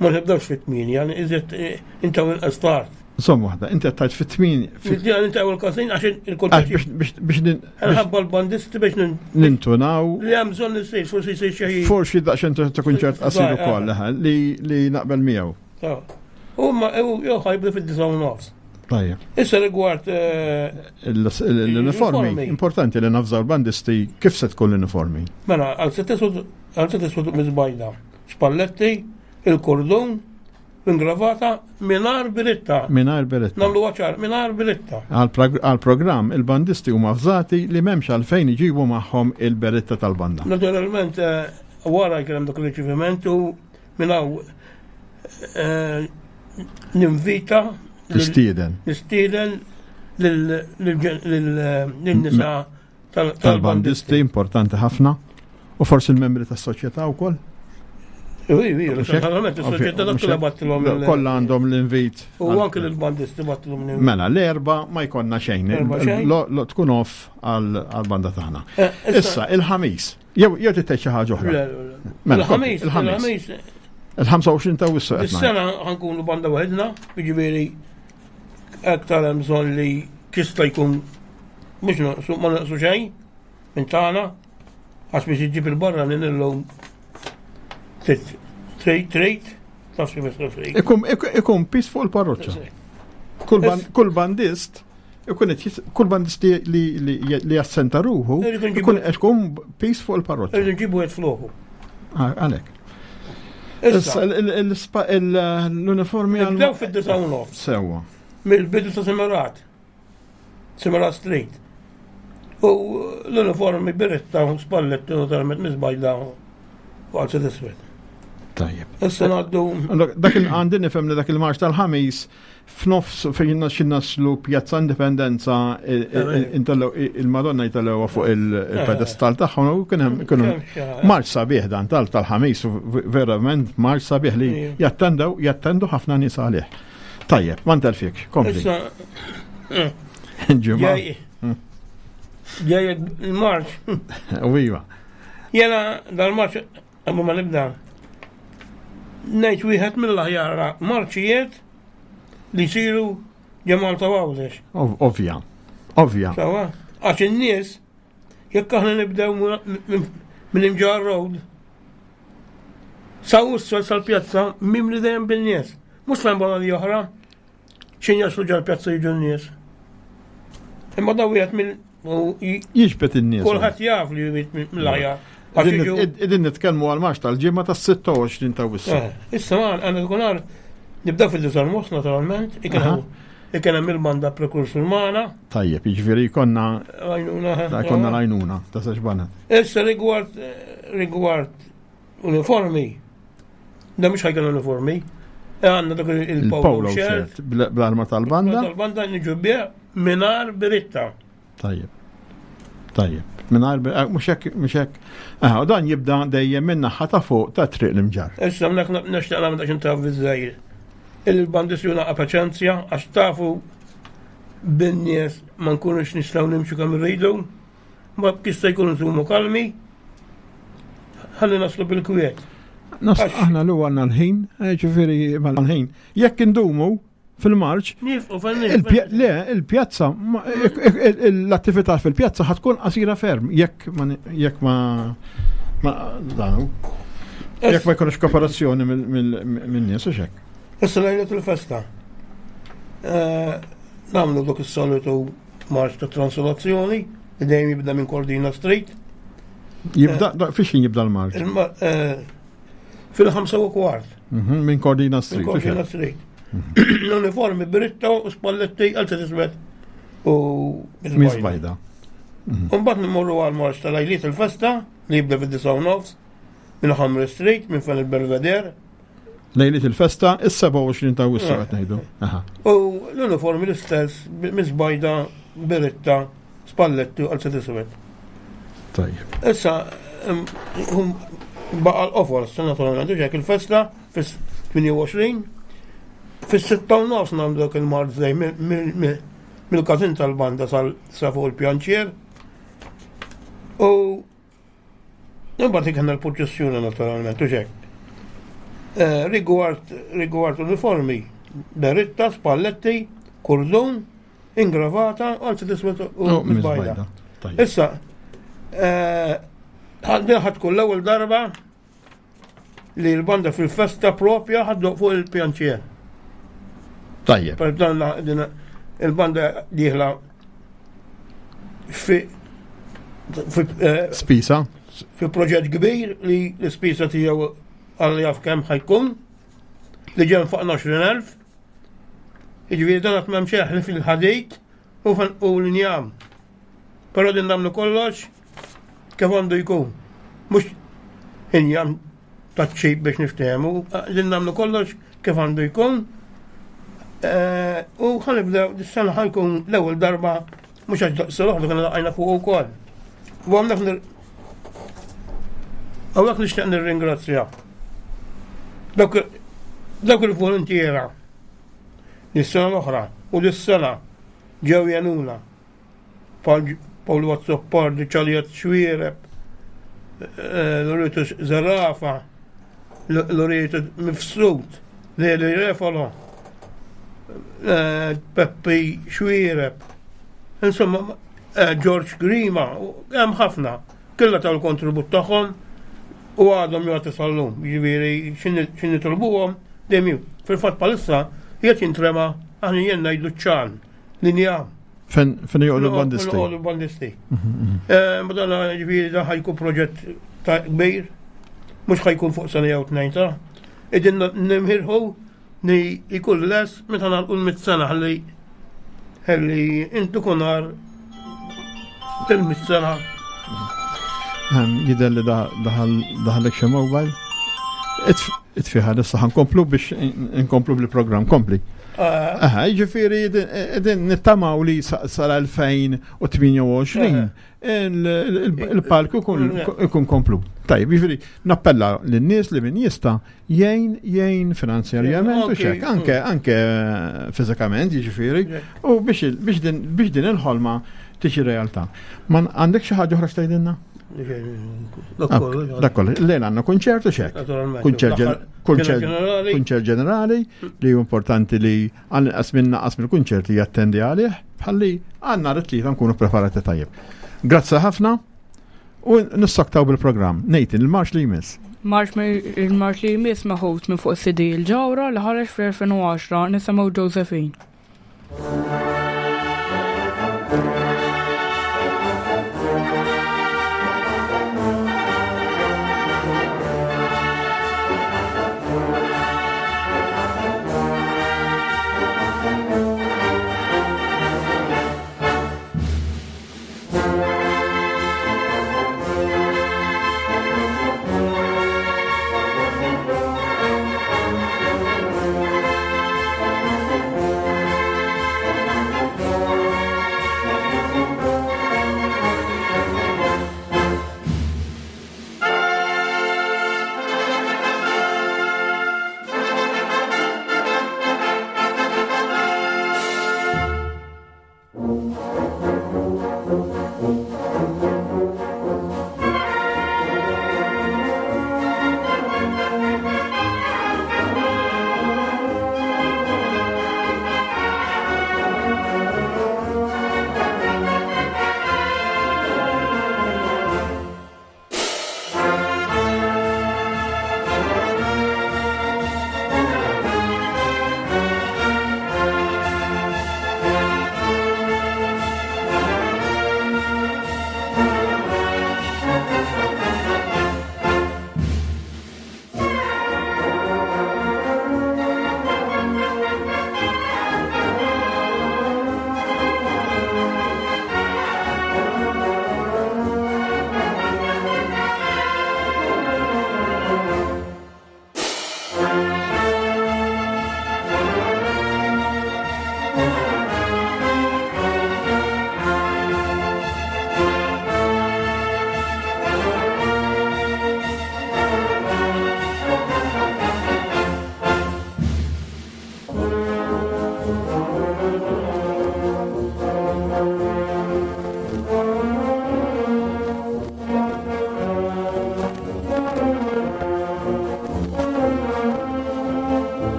[SPEAKER 5] ma nibdawx fit-8, iżjed eh, intaw inqas tard.
[SPEAKER 3] Insomma waħda, inti qed tgħid fit-tmien.
[SPEAKER 5] Fit-tmien intaw il-każin għax il-kunċert.
[SPEAKER 3] Biex
[SPEAKER 5] Nħabba l-bandisti biex
[SPEAKER 3] nintunaw.
[SPEAKER 5] Li hemm bżonn isir, forsi jsir xi.
[SPEAKER 3] Forsi daqsxejn ta' kunċert qasir ukoll li naqbel miegħu.
[SPEAKER 5] U ma jew ħajbdu fid-disa' u nofs.
[SPEAKER 3] Tajjeb.
[SPEAKER 5] Issa rigward eh,
[SPEAKER 3] l-uniformi, importanti li nafżaw l-bandisti kif se tkun l-uniformi.
[SPEAKER 5] Mela, għal se tisud mizbajda, spalletti, il-kordun, ingravata minar biritta.
[SPEAKER 3] Minar biritta.
[SPEAKER 5] Namlu għaċar, minar biritta.
[SPEAKER 3] Għal-programm il-bandisti huma avżati li memx għalfejn iġibu magħhom il-beritta tal-banda.
[SPEAKER 5] Naturalment, eh, wara jkun hemm dak il-riċeviment u minn hawn eh, ninvita
[SPEAKER 3] Nistieden.
[SPEAKER 5] Nistieden lil-nisa
[SPEAKER 3] tal-bandisti importanti ħafna u forsi l-membri tas-soċjetà wkoll.
[SPEAKER 5] Ui, ui, naturalment, is-soċjetà dak kollha battilhom.
[SPEAKER 3] Kollha għandhom l-invit.
[SPEAKER 5] U anke l-bandisti battilhom
[SPEAKER 3] l-invit. Mela, l-erba ma jkollna xejn. Tkun off għal-banda tagħna. Eh, issa, il-ħamis. Jew jew titgħid xi ħaġa oħra.
[SPEAKER 5] Mela, il-ħamis, il-ħamis.
[SPEAKER 3] Il-25 ta' wissu.
[SPEAKER 5] Is-sena ħankunu banda waħedna, jiġifieri aktar hemm bżonn li tista' jkun mhux naqsu ma naqsu xejn minn tagħna għax biex iġġib il-barra lil illum trid trid taf xi
[SPEAKER 3] trid. Ikun pis fuq il-parroċċa. Kull bandist Ikun qed kull bandist li li jassenta ruħu, ikun qed ikun pis fuq il-parroċċa.
[SPEAKER 5] Irridu nġibu qed floku.
[SPEAKER 3] Ah, għalhekk. Issa l-uniformi
[SPEAKER 5] għal. Nibdew fid-disa' u nofs.
[SPEAKER 3] Sewwa.
[SPEAKER 5] Mill-bidu ta' Semerat. Semerat Street. U l-uniformi biretta u spalletti naturalment miżbajda u għal iswed.
[SPEAKER 3] Tajjeb.
[SPEAKER 5] Issa ngħaddu.
[SPEAKER 3] Dak il-għandi nifhem li dak il-marx tal-ħamis F'nofs fejn xi naslu Pjazza Indipendenza il-Madonna jtellgħuha fuq il-pedestal tagħhom u kien hemm kienu marċ sabiħ dan tal tal-ħamis verament marċ sabiħ li jattendew jattendu ħafna nies għalih. Tajjeb, ma ntelfik, kompli.
[SPEAKER 5] Ġimgħa. Ġej il-marċ.
[SPEAKER 3] U iva.
[SPEAKER 5] Jena dal-marċ Qabel ma nibda, ngħid wieħed mill-aħjar marċijiet li jsiru ġo Malta u Għawdex.
[SPEAKER 3] Ovvja, ovvja.
[SPEAKER 5] Sawa, għax in-nies jekk aħna nibdew minn Imġarr Road sa Ussol sal-pjazza mimli dejjem bin-nies. Mhux fejn barra li oħra. X'in jaslu ġal-pjazza jiġu n-nies. Imma daw wieħed mill
[SPEAKER 3] Jiġbed in-nies.
[SPEAKER 5] Kulħadd jaf li wieħed mill-aħjar.
[SPEAKER 3] Qegħdin nitkellmu għal marx tal-ġimgħa tas-26 ta' Awwissu.
[SPEAKER 5] Eh, issa ma għandna tkun nibdew fil-disa nofs naturalment, Li kien hemm il-banda prekursur magħna.
[SPEAKER 3] Tajjeb, jiġifieri jkollna
[SPEAKER 5] Għajnuna.
[SPEAKER 3] jkollna l-għajnuna ta' żewġ baned.
[SPEAKER 5] Issa rigward rigward uniformi, da mhux ħajkun uniformi. Għandna dak il-polo shirt.
[SPEAKER 3] Bl-arma tal-banda.
[SPEAKER 5] Tal-banda niġu bih mingħajr biritta.
[SPEAKER 3] Tajjeb. Tajjeb. Mingħajr eh, mhux hekk mhux hekk. Aha, u dan jibda dejjem minn naħa ta' fuq ta' triq l-imġar.
[SPEAKER 5] Issa hawnhekk nixtieq nagħmel daqsxejn ta' viżżejjed. Il-bandisti naqa' paċenzja għax tafu bin-nies ma nkunux nistgħu nimxu kemm irridu, ma jista' jkun nżumu kalmi, ħalli naslu bil-kwiet.
[SPEAKER 3] Aħna l għandna l-ħin, eh, ġifieri mal-ħin. Jekk indumu fil-marċ, le, il-pjazza, l-attività fil-pjazza ħatkun qasira ferm, jekk ma danu. Jekk ma jkunx kooperazzjoni minn-nies u xek.
[SPEAKER 5] Issa lejlet il-festa. Eh, nagħmlu dak is-solitu marċ ta' transolazzjoni li dejjem jibda minn Cordina Street.
[SPEAKER 3] Jibda, eh, fiex jibda l-marċ?
[SPEAKER 5] Eh, fil-5 u kwart.
[SPEAKER 3] Minn Cordina Street.
[SPEAKER 5] Minn Cordina Street. L-uniformi beritta u spalletti għal tisbet u
[SPEAKER 3] Miss Bajda.
[SPEAKER 5] Mbagħad nimorru għal marċ tal-lejliet il-festa li jibda fid-9:30 minn Hamre Street minn fejn il-Belvedere.
[SPEAKER 3] Lejliet il-festa, is-27 ta' Awwissu qed ngħidu.
[SPEAKER 5] U l-uniformi l-istess, Miss Bajda, beritta, spalletti u qalzett iswed.
[SPEAKER 3] Tajjeb.
[SPEAKER 5] Issa, baqa l-qofol, naturalment, u il-festa fis-28, fis-6:30 nagħmlu dak il-marċ mill-każin tal-banda sa fuq il-pjanċier. U Imbagħad kellna l-purċissjoni naturalment u xek. Eh, rigward uniformi, beritta, spalletti, kurdun, ingravata, qalzett iswed u
[SPEAKER 3] Oh,
[SPEAKER 5] bajda. Issa, eh, din ħa tkun l-ewwel darba li l-banda fil-festa propja ħa ddoqq fuq il-pjanċier.
[SPEAKER 3] Tajjeb.
[SPEAKER 5] Per dan din il-banda dieħla fi eh,
[SPEAKER 3] Spisa.
[SPEAKER 5] fi proġett kbir li l-ispisa tiegħu għal jaf kemm ħa jkun li ġen fuq 20,000. Jiġifieri dan qatt m'hemm xejn fil-ħadid u l-injam. Però din nagħmlu kollox kif għandu jkun. Mhux injam taċ-cheap biex niftehmu, din nagħmlu kollox kif għandu jkun. Eh, u ħa nibdew, dis-sena ħa jkun l-ewwel darba mhux għax daqs l-oħra konna laqajna fuq ukoll. U għamnek Hawnhekk nixtieq nirringrazzja dawk il-volontiera lis-sena l-oħra u lis-sena ġew jgħinuna. Paolo Azzopardi, Ċaliet Xwiereb, eh, Lorito Zarafa, Lorito Mifsud, Leli Refalo, eh, Peppi Xwiereb, insomma, eh, George Grima, hemm ħafna, kollha taw il-kontribut tagħhom u għadhom jagħtu sal-lum, jiġifieri x'ħin nitolbuhom dejjem. Fil-fatt bħalissa qiegħed jintrema aħna jien ngħidu ċan, linja.
[SPEAKER 3] Fejn joqogħdu l-bandisti.
[SPEAKER 5] Joqogħdu l-bandisti. Eh, Madonna ġifieri dan ħa jkun proġett ta' kbir, mhux ħa jkun fuq sena jew tnejn ta' Idin nimħirħu li jkun les meta nagħlqu l-100 sena ħalli ħalli intu kunar il-100 sena.
[SPEAKER 3] Jidher li daħallek xi mobile. Itfiħa issa ħa nkomplu biex nkomplu bil-programm kompli.
[SPEAKER 5] Ah.
[SPEAKER 3] Aha, ġifieri din nittamaw li sal-2028 il-palku ikun komplu. Tajjeb, ġifieri nappella lin-nies li min jista' jgħin jgħin finanzjarjament u xek, anke anke fiżikament, jiġifieri, u biex din il-ħolma tiġi realtà. Ma għandek xi ħaġa oħra x'tgħidilna? Dak kollu. Lejla għandna kunċert u xek. Kunċert ġenerali li hu importanti li għal minna qas mill-kunċert li jattendi għalih bħalli għandna it-Tlieta nkunu preparati tajjeb. Grazzi ħafna u nissoktaw bil-programm. Nathan, il-marx li jmiss.
[SPEAKER 2] Marx il-marx li jmiss meħud minn fuq CD il-ġawra li ħareġ fl-2010 nisimgħu Josephine.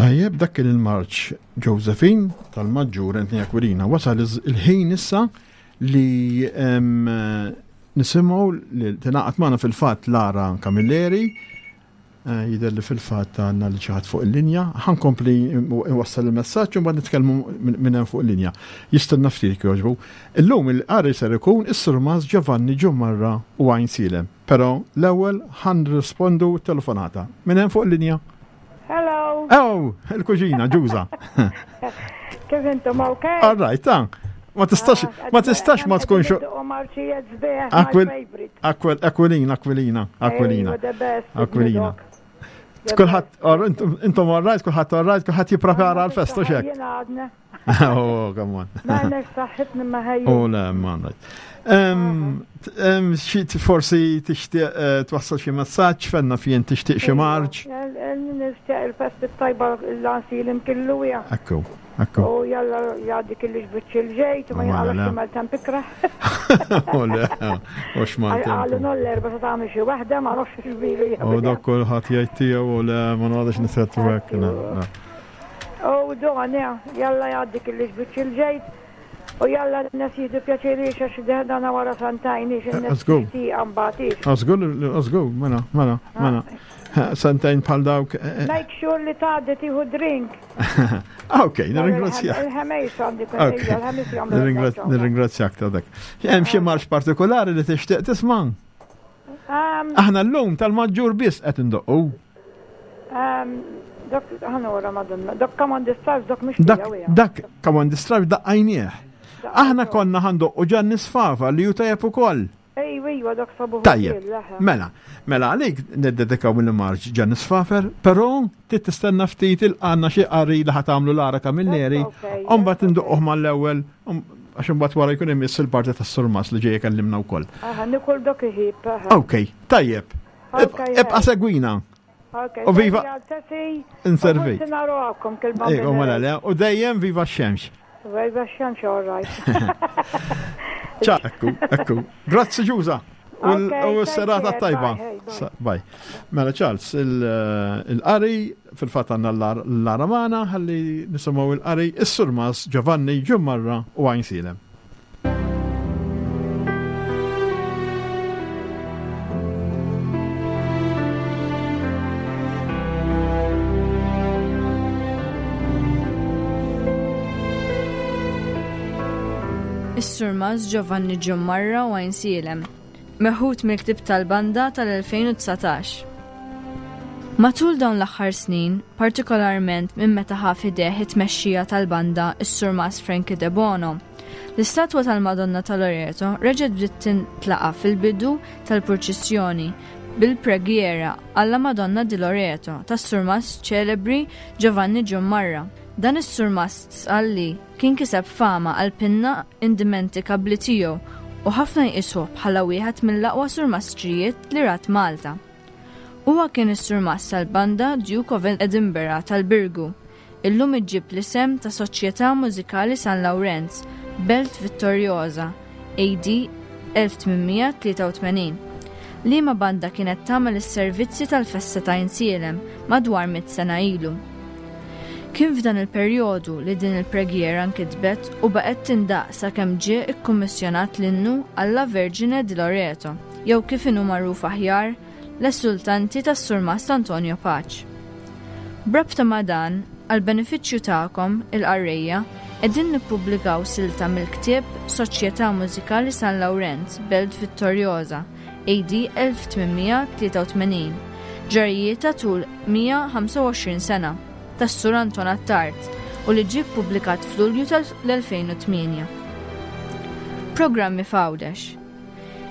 [SPEAKER 3] Tajjeb, dak kien il-marċ Josephine tal-Maġġur Anthony Aquilina. Wasal il-ħin issa li nisimgħu li tingħaqad magħna fil-fatt Lara Camilleri, eh, jidher li fil-fatt għandna li ċaħat fuq il-linja. Ħankompli nwassal il-messaġġ u mbagħad nitkellmu minn hemm fuq il-linja. Jistenna ftit jogħġbu. Illum il-qari ser ikun is-Surmas Giovanni Ġumarra u Għajn Silem. Però l-ewwel ħan rispondu telefonata. Minn hemm fuq il-linja.
[SPEAKER 6] Hello.
[SPEAKER 3] Oh, il-kuġina, ġuża.
[SPEAKER 6] Kif intom ok?
[SPEAKER 3] All right, ta. Ma tistax, ah, ma tistax ma tkunx. Aquilina, Aquilina, Aquilina. Aquilina. Kulħadd, intom all right, kulħadd all right, kulħadd jipprepara għal-festa xek. Oh, come on.
[SPEAKER 6] Ma saħħitni ma ħajju.
[SPEAKER 3] Oh, le, ma Xi forsi tixtieq eh, twassal xi messaġġ fenna fien tixtieq xi marġ.
[SPEAKER 6] Nixtieq il-festi tajba l-lansi li mkillu ja.
[SPEAKER 3] Ekku, ekku.
[SPEAKER 6] U jalla jgħaddi kelli xbiċċi l-ġejt u ma jgħallu xi maltemp ikra.
[SPEAKER 3] U le, u x'maltemp.
[SPEAKER 6] Għallu noll-erba se tagħmel xi waħda ma nafx x'bilu.
[SPEAKER 3] U dak kulħadd jgħid tiegħu u le ma noqgħodx nisettu hekk.
[SPEAKER 6] U don, jalla jgħaddi kelli xbiċċi l-ġejt. U jalla n-nes jieħdu pjaċir għax dana wara santajn ix n-nes tixtieqa mbagħad ix.
[SPEAKER 3] Żgur, żgur, mela, mela, mela. Santajn bħal dawk. Eh,
[SPEAKER 6] eh. Make sure li tgħaddi tieħu drink.
[SPEAKER 3] Ah, ok, nirringrazzjak.
[SPEAKER 6] Il-ħemejs għandi il-ħemis
[SPEAKER 3] jagħmlu. Nirringrazzjak ta' dak. Hemm xi marx partikolari li tixtieq tisma'? Aħna llum tal-maġġur biss qed indoqqu.
[SPEAKER 6] Dak ħanora madonna, dak come on the stars, dak mhux
[SPEAKER 3] Dak dak come on the stars daqqajnieh. Aħna konna ħandoqqu Ġanni Sfafa li hu tajjeb ukoll.
[SPEAKER 6] Ejwa, ejwa, dak sabuħ.
[SPEAKER 3] Tajjeb, mela, mela għalik niddedikaw il-marġ Ġanni Sfafer, però trid tistenna ftit il-għandna xi qari li ħa tagħmlu Lara Camilleri, u mbagħad indoqquh mal-ewwel għax imbagħad wara jkun imiss il-parti tas-surmas li ġej ikellimna wkoll.
[SPEAKER 6] Aha, nikol dak iħib.
[SPEAKER 3] Ok, tajjeb. Ibqa' segwina.
[SPEAKER 6] U
[SPEAKER 3] viva. Inservi. Ejwa, mela le, u dejjem viva x-xemx.
[SPEAKER 6] Viva x-xemx, all right.
[SPEAKER 3] Ċa, ekku, ekku. Grazzi ġuża. U s-serata tajba. Bye. Mela Charles, il-qari, fil-fat għanna l-aramana, ħalli nisimaw il-qari, is-surmas Giovanni Ġummarra u Għajn Silem.
[SPEAKER 7] Is-Surmas Giovanni Ġummarra u Għajnsielem, meħud mill-ktieb tal-banda tal-2019. Matul dawn l-aħħar snin, partikolarment minn meta ħa f'idejh it-tmexxija tal-banda s-Surmas Frankie Debono, l-istatwa tal-Madonna ta' Loreto reġgħet bdiet tintlaqa' fil-bidu tal-purċissjoni bil-preghiera alla Madonna di Loreto tas-Surmast ċelebri Giovanni Giummarra. Dan is-surmast Sqalli kien kiseb fama għall-pinna indimentikabbli tiegħu u ħafna jqisuh bħala wieħed mill-aqwa surmastrijiet li rat Malta. Huwa kien is-surmast tal-banda Duke of Edinburgh tal-Birgu, illum iġġib l-isem ta' Soċjetà Mużikali San Lawrenz, Belt Vittoriosa, AD 1883, liema banda kienet tagħmel is-servizzi tal-festa ta' Għajnsielem madwar mitt sena ilu. Kien f'dan il-perjodu li din il-preghiera nkitbet u baqgħet tindaqq sakemm ġie kkummissjonat l-innu Alla Vergine di Loreto, jew kif inhu magħruf aħjar, L-Esultanti tas-Surmast Antonio Pace. B'rabta ma' dan, għall-benefiċċju tagħkom, il-qarrejja, qegħdin nippubblikaw silta mill-ktieb Soċjetà Mużikali San Lawrenz, Belt Vittoriosa, AD 1883, ġrajjietha tul 125 sena, tas-Sur Anton Attard u li ġie ppubblikat f'Lulju tal-2008. Programmi f'Għawdex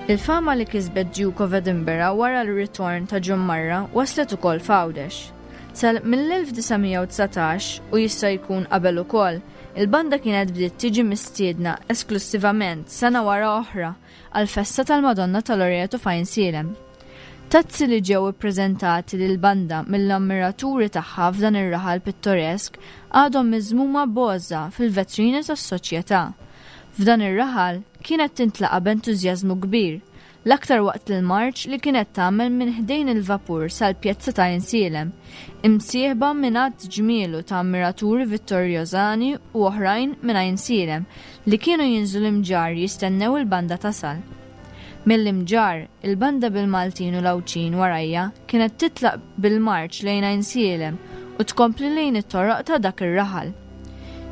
[SPEAKER 7] Il-fama li kisbet Duke of Edinburgh wara l-ritorn ta' John Marra waslet ukoll f'Għawdex. Sa mill-1919, u jista' jkun qabel ukoll, il-banda kienet bdiet tiġi mistiedna esklussivament sena wara oħra għall-festa tal-Madonna ta' Loreto f'Għajnsielem. Tazzi li ġew ippreżentati lill-banda mill-ammiraturi tagħha f'dan ir-raħal pittoresk għadhom miżmuma b'għożża fil-vetrini tas-Soċjetà. F'dan ir-raħal kienet tintlaqa' b'entużjażmu kbir. L-aktar waqt il-marċ li kienet tagħmel minn ħdejn il-vapur sal-pjazza ta' Għajnsielem, imsieħba minn għadd ġmielu ta' ammiraturi Vittorjosani u oħrajn minn Għajnsielem li kienu jinżlu l-Imġarr jistennew il-banda tasal. Mill-Imġarr, il-banda bil-Maltin u l-Għawdxin warajha kienet titlaq bil-marċ lejn Għajnsielem u tkompli lejn it-toroq ta' dak ir-raħal.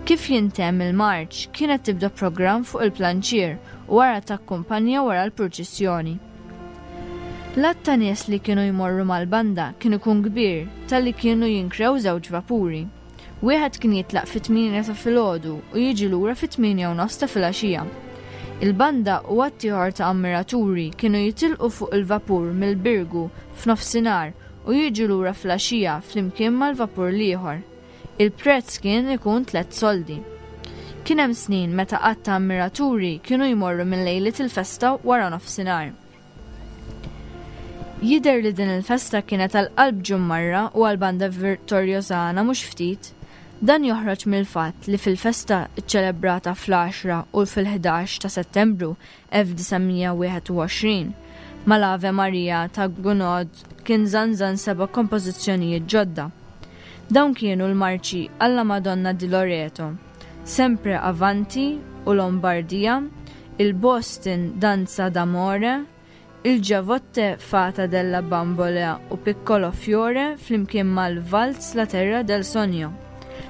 [SPEAKER 7] Kif jintemm il-marċ, kienet tibda programm fuq il-planċier u wara takkumpanja wara l-purċissjoni. L-għadd ta' nies li kienu jmorru mal-banda kien ikun kbir talli kienu jinkrew żewġ vapuri. Wieħed kien jitlaq fit-tmienja ta' filgħodu u jiġi lura fit-tmienja u nofs ta' filgħaxija. Il-banda u għadd ieħor ta' ammiraturi kienu jitilqu fuq il-vapur mill-Birgu f'nofsinhar u jiġu lura filgħaxija flimkien mal-vapur l-ieħor. Il-prezz kien ikun tlett soldi. Kien hemm snin meta għadd ta' ammiraturi kienu jmorru minn lejliet il-festa wara nofsinhar. Jidher li din il-festa kienet għal qalb Ġummarra u għall-Banda Vittorjosana mhux ftit. Dan joħroġ mill-fatt li fil-festa ċċelebrata fl-għaxra u fil-ħdax ta' Settembru 1921, mal-Ave Maria ta' Gounod kien żanżan seba' kompożizzjonijiet ġodda. Dawn kienu l-marċi Alla Madonna di Loreto, Sempre Avanti u Lombardia, il-Boston Danza d'Amore, il Giavotte Fata della Bambola u Piccolo Fiore flimkien mal-Valz La Terra del Sogno.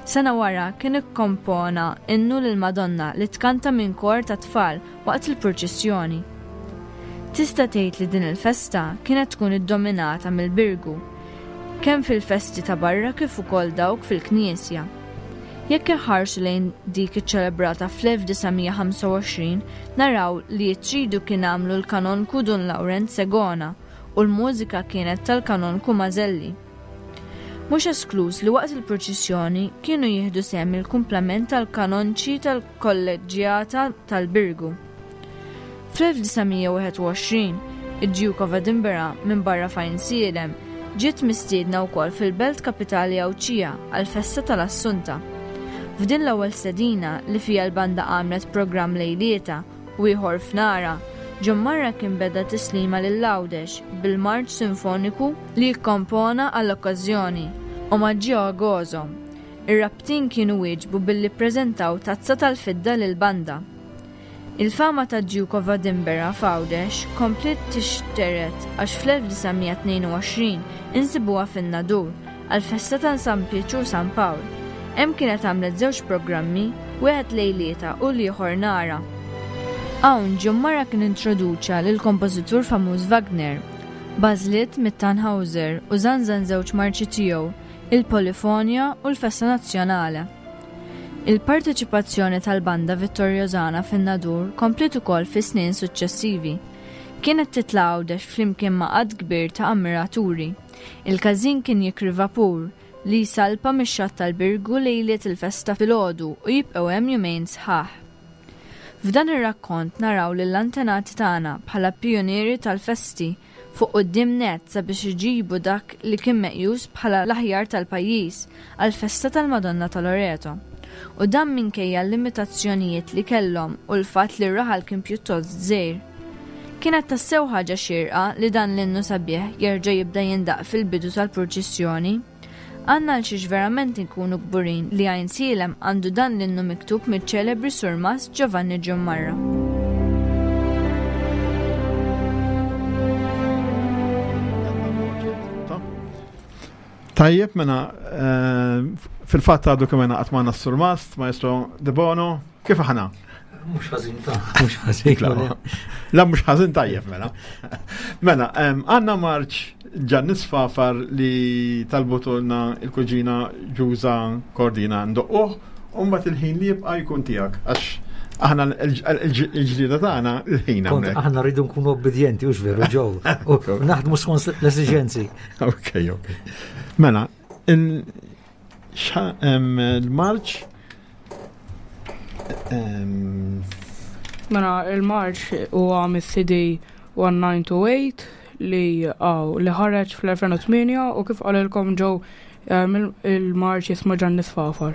[SPEAKER 7] Sena wara kien ikkompona innu lill-Madonna li tkanta minn kor ta' tfal waqt il-purċissjoni. Tista' tgħid li din il-festa kienet tkun iddominata mill-Birgu, kemm fil-festi ta' barra kif ukoll dawk fil-knisja. Jekk inħarsu lejn dik iċċelebrata fl-1925 naraw li t-tridu kien għamlu l-Kanonku Dun Lawrenz Segona u l-mużika kienet tal-Kanonku Maselli. Mhux eskluż li waqt il-purċissjoni kienu jieħdu sehem il-kumplament tal-kanonċi tal-Kolleġġjata tal-Birgu. Fl-1921, id-Duke of Edinburgh minbarra f'Għajnsielem, ġiet mistiedna wkoll fil-belt kapitali Għawdxija għall-festa tal-Assunta. F'din l-ewwel stedina li fiha l-banda għamlet programm lejlietha u ieħor f'narha, Ġommarra kien beda tislima lil Għawdex bil-marċ sinfoniku li kkompona għall-okkażjoni, Omaggio a Gozo. Ir-Rabtin kienu wieġbu billi ppreżentaw tazza tal-fidda lill-banda. Il-fama tad-Duke of Edinburgh f'Għawdex kompliet tixtered għax fl-1922 insibuha fin-Nadur għall-festa ta' San Pietru u San Pawl. Hemm kienet għamlet żewġ programmi, wieħed lejlietha u l-ieħor nhara. Hawn Ġummara kien introduċa lill-kompożitur famuż Wagner, b'għażliet mit-Tannhauser u żanżan żewġ marċi tiegħu, il-Polifonia u l-Festa Nazzjonale. Il-parteċipazzjoni tal-Banda Vittoriosana fin-Nadur kompliet ukoll fis-snin suċċessivi. Kienet titla' Għawdex flimkien ma' għadd kbir ta' ammiraturi. Il-każin kien jikri vapur li jsalpa mix-xatt tal-Birgu lejliet il-festa filgħodu u jibqgħu hemm jumejn sħaħ. F'dan ir-rakkont naraw lill-antenati tagħna bħala pijunieri tal-festi fuq quddiem nett sabiex iġibu dak li kien meqjus bħala l-aħjar tal-pajjiż għall-festa tal-Madonna ta' Loreto. U dan minkejja l-limitazzjonijiet li kellhom u l-fatt li r-raħal kien pjuttost żgħir. Kienet tassew ħaġa xierqa li dan l-innu sabiħ jerġa' jibda jindaqq fil-bidu tal-purċissjoni. Għandna għal xiex verament inkunu kburin li Għajnsielem għandu dan l-innu miktub miċ-ċelebri Surmast Giovanni Ġummarra.
[SPEAKER 3] Tajjeb, mela, eh, fil-fatt għadu kemm qatt magħna s-Surmast, Maestro De Bono, kif aħna?
[SPEAKER 8] Mux ħażin ta' mux ħażin.
[SPEAKER 3] La mux ħażin tajjeb mela. Mela, għanna marċ ġan Fafar li talbutulna il-kuġina Ġuża Kordina ndoqquh, u mbagħad il-ħin li jibqa' jkun tiegħek għax aħna l-ġlida tagħna l-ħin hawnhekk.
[SPEAKER 8] Aħna rridu nkunu obbedjenti u veru ġew. Naħdmu skont l-esiġenzi.
[SPEAKER 3] Ok, ok. Mela, il-marċ
[SPEAKER 2] Mela, il-marċ huwa mis-CD 1928 li għaw li ħareġ fl-2008 u kif qalilkom ġew il-marċ jismu Ġanni Sfafar.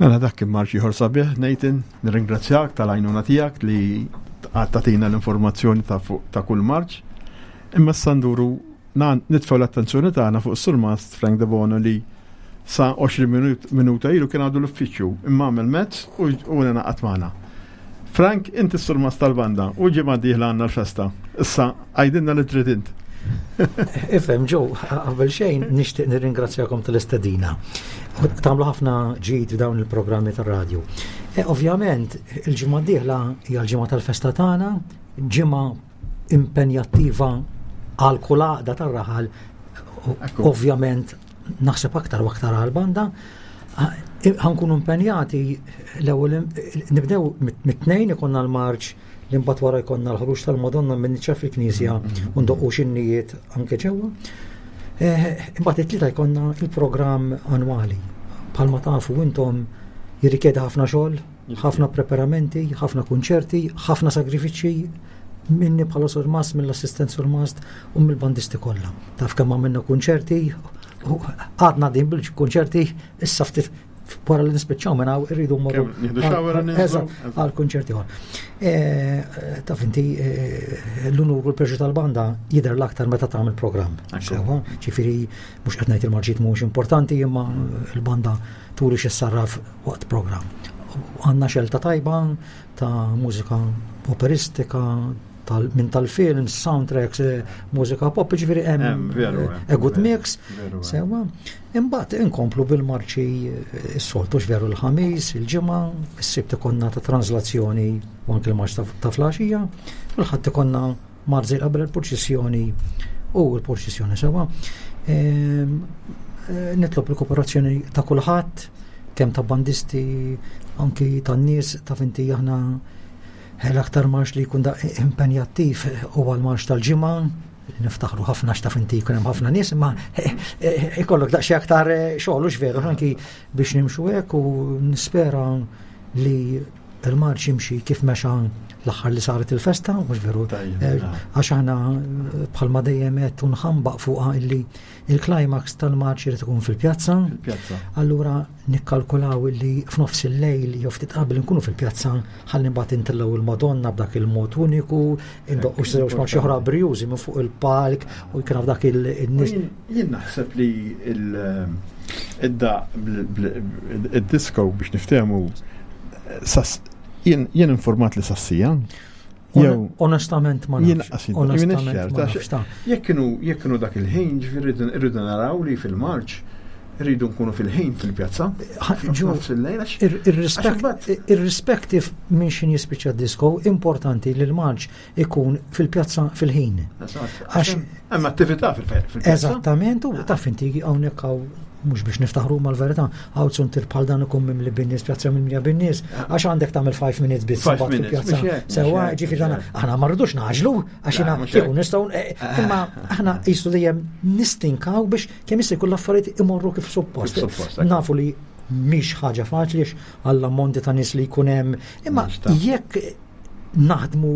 [SPEAKER 3] Mela dak kien marċ ieħor sabiħ, Nathan, nirringrazzjak tal-għajnuna tiegħek li tagħtina l-informazzjoni ta' fuq ta' kull marċ. Imma issa nduru nitfgħu l-attenzjoni tagħna fuq is-surmast Frank Debono li sa 20 minuta ilu kien għadu l-uffiċċju imma għamel mezz u ngħaqad magħna. Frank, inti s-surmast tal-banda u ġimgħa dieħla għandna l-festa. Issa għajdilna li trid int.
[SPEAKER 8] Ifhem ġew, qabel xejn nixtieq nirringrazzjakom tal-istedina. Tagħmlu ħafna ġid f'dawn il-programmi tar-radju. E, ovvjament, il-ġimgħa d-dieħla hija l-ġimgħa tal-festa tagħna, ġimgħa impenjattiva għal kull għaqda tar-raħal, ovvjament naħseb aktar u aktar għal banda, ħankunu impenjati l-ewwel nibdew mit-tnejn ikonna l-marċ li mbagħad wara jkollna l-ħruġ tal-Madonna minn niċċa fil-knisja mm-hmm. u ndoqqu xinnijiet anke ġewwa. Eh, imbagħad it-tlieta jkollna il-programm annwali. Bħalma tafu intom jirrikjedi ħafna xogħol, ħafna preparamenti, ħafna kunċerti, ħafna sagrifiċċji minni bħala surmast, mill-assistent surmast u mill-bandisti kollha. Taf kemm għamilna kunċerti, għadna din bil-kunċerti, issa ftit wara li nispiċċaw minn hawn irridu mmorru għal kunċerti ieħor. E, taf inti e, l-unur u l-preġu tal-banda jidher l-aktar meta tagħmel programm. Sewa, ġifieri mhux qed ngħid il-marġiet mhux importanti imma l-banda turi xi sarraf waqt programm. Għandna xelta tajba ta' mużika operistika, tal, minn tal-films, soundtracks, eh, mużika pop, ġifieri hemm eh, a good mix. Sewa. Imbagħad inkomplu bil-marċi eh, s-soltu veru l-ħamis, il-ġimgħa, is-sibt ikonna ta' translazzjoni u anke l-marċ ta' flaxija, u l-ħadd ikonna marzi qabel il-purċissjoni u l-purċissjoni sewa. Ehm, nitlob il-kooperazzjoni ta' kulħadd, kemm ta' bandisti, anki tan-nies, ta' finti aħna L-aktar marx li jkun impenjattiv huwa l-marx tal-ġimgħa, niftaħru ħafna x'taf inti jkun hemm ħafna nies, imma ikollok daqsxejn aktar eh, xogħol u veru anki biex nimxu hekk u nispera li il-marċ jimxi kif mexa l-aħħar li saret il-festa, mhux veru. Eh, għax aħna eh, bħalma dejjem qed nħambaq fuqha illi il-climax tal-marċ irid ikun fil-pjazza. Allura nikkalkulaw illi f'nofs il-lejl jew ftit qabel nkunu fil-pjazza ħalli mbagħad intellgħu il-Madonna b'dak il-mod uniku, indoqqu xi żewġ marċi oħra brjużi minn fuq il-palk u jkun dak il-nies.
[SPEAKER 3] Jien naħseb li id-daq id-disco biex niftehmu jien informat li sassija.
[SPEAKER 8] Jew onestament ma nafx.
[SPEAKER 3] Onestament ma nafx. Jekk kienu jekk kienu dak il-ħin, ġifieri rridu naraw li fil-Marċ rridu nkunu fil-ħin fil-pjazza.
[SPEAKER 8] Irrispective minn xin jispiċċa disco, importanti li l-marċ ikun fil-pjazza fil-ħin.
[SPEAKER 3] Għax hemm attività fil-pjazza.
[SPEAKER 8] Eżattament, u taf inti hawnhekk hawn mhux biex niftaħru mal-verità, hawn suntir bħal dan ikun mimli bin-nies, pjazza mimlija bin-nies, għax għandek tagħmel 5 minutes biss
[SPEAKER 3] fil-pjazza.
[SPEAKER 8] Sewa, ġifieri aħna ma rridux naġlu, għax jiena kieku nistgħu eh, eh, imma aħna qisu dejjem nistinkaw biex kemm jista' jkun l-affarijiet imorru kif suppost. Nafu li mhix ħaġa faċli għall-ammonti ta' nies li jkun hemm, imma jekk naħdmu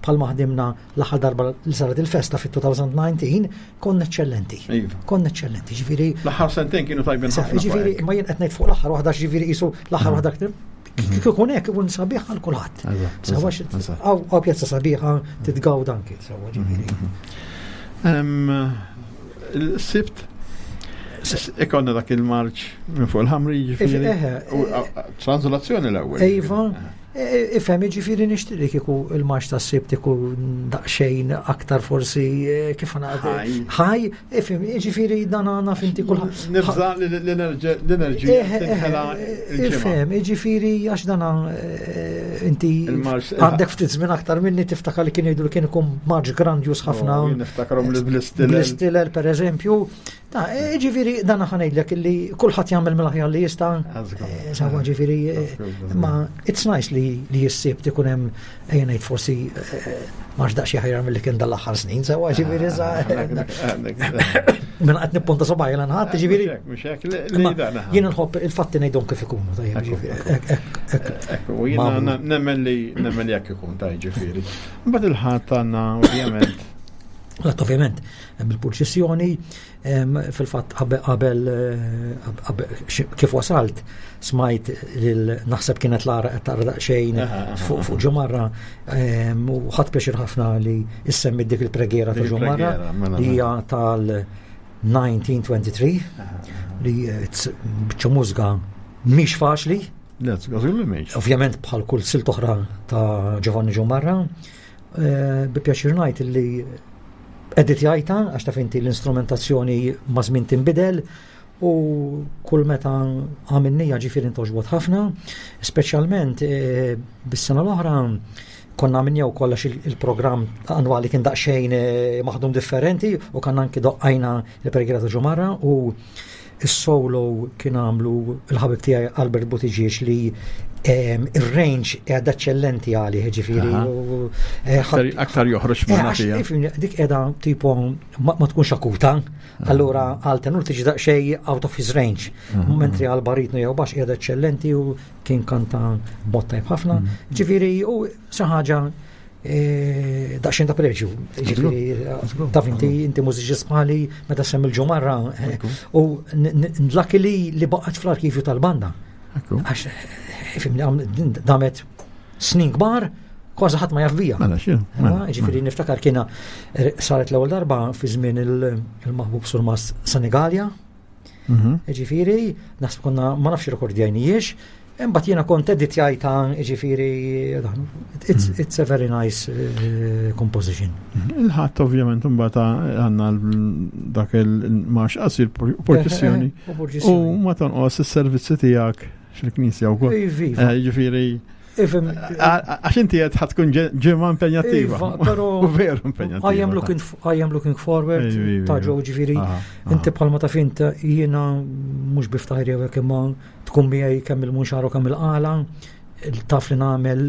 [SPEAKER 8] bħal maħdimna l-aħħar darba li saret il-festa fit-2019 konna eċċellenti. Iva. Konna eċċellenti, ġifieri.
[SPEAKER 3] L-aħħar sentejn kienu tajbin ħafna.
[SPEAKER 8] Ġifieri, ma jien qed ngħid fuq l-aħħar waħda ġifieri qisu l-aħħar mm. waħda mhm. kif ikun hekk ikun sabiħ għal kulħadd. Sewa hawn pjazza sabiħa titgawda anki sewa ġifieri.
[SPEAKER 3] Mhm. Il-sibt ikonna dak il-marċ minn fuq il-ħamri ġifieri. Translazzjoni l-ewwel.
[SPEAKER 8] Iva. Ifhem, jiġifieri nixtieq li kieku il-marx tas-Sibt ikun daqsxejn aktar forsi eh, kif ngħid. Ħaj, ifhem, jiġifieri dan għandna finti
[SPEAKER 3] kulħadd. Nibża l-enerġija eh, eh, tinħela.
[SPEAKER 8] Ifhem, jiġifieri għax dan inti għandek ftit żmien aktar minni tiftakar li kien jgħidu li kien ikun marx grandjus ħafna.
[SPEAKER 3] Oh, niftakarhom bl-istilel.
[SPEAKER 8] Bl-istilel pereżempju. Ta' e, ġifiri, dan ħanejdlek li kulħadd jagħmel mill-aħjar li jista' e, sawa ġifiri, e, ma it's nice li li jissib tikun hemm ejja ngħid forsi ma daqs ħajra mill-li kien dal-aħħar snin, sawa ġifiri sa. Mela qed nippunta subgħaj l ħadd ġifiri. Jien nħobb il-fatti ngħidhom kif ikunu, tajjeb ġifieri.
[SPEAKER 3] Ekku, jiena nemmen li nemmen li jekk ikun tajjeb ġifieri. Mbagħad il-ħadd għandna ovvjament.
[SPEAKER 8] L-att ovvjament hemm il-purċissjoni, fil-fatt qabel kif wasalt smajt lil naħseb kienet Lara qed taqra daqsxejn fuq ġumarra u ħadd pjaċir ħafna li issemmi dik il-pregiera ta' ġumarra mela, li hija mela. tal-1923 li biċċa mużga mhix faċli. Ovvjament bħal kull silt oħra ta' Giovanni Ġumarra, Eh, bi pjaċir ngħid li editjajta għax taf inti l-instrumentazzjoni ma' żmien tinbidel u kull meta għamilnija ġifieri ntoġbot ħafna, speċjalment eh, bis-sena l-oħra konna għamilnija u kollax il-programm annwali kien daqsxejn eh, maħdum differenti u kanna anki doqqajna il-pregira ta' ġumarra u Is-solo kien għamlu il-ħabib tiegħi Albert Buttigieg li ehm, ir-range qiegħda eċċellenti għalih, ġifieri.
[SPEAKER 3] Eh, aktar joħroġ
[SPEAKER 8] eh, minna fija. Dik qiegħda tipo ma tkunx akuta, allura għal tenur tiġi daqsxejn out of his range. Mentri għal baritnu jew baxx qiegħda eċċellenti u kien kanta b'mod tajb ħafna. Mm. Ġifieri u xi ħaġa E, daqxin ta' preġju. Ġifieri, taf inti inti mużiċist bħali meta semmi l-ġumarra e, u luckily li baqgħet fl-arkivju tal-banda. Għax e, damet snin kbar kważi ħadd ma jaf bija.
[SPEAKER 3] Mela, mela, mela.
[SPEAKER 8] Ġifieri niftakar kiena saret l-ewwel darba fi żmien il-maħbub Surmas Senegalja. Mhm. Ġifieri, naħseb konna ma nafx rekordjajnijiex, imbagħad jiena kont editjajta ġifieri it's, mhm. it's a very nice uh, composition.
[SPEAKER 3] Mhm. Il-ħadd ovvjament imbagħad għandna dak il-marx qasir porċissjoni eh, eh, u ma tonqos is-servizzi tiegħek fil-knisja wkoll. Eh, ġifieri Għax inti qed tkun ġimgħa impenjattiva.
[SPEAKER 8] Iva, però
[SPEAKER 3] veru impenjattiva.
[SPEAKER 8] I am looking I am looking forward ta' ġew ġifieri inti bħalma taf int jiena mhux biftaħir jew hekk imma tkun miegħi kemm il-munxar u kemm il-qala taf li nagħmel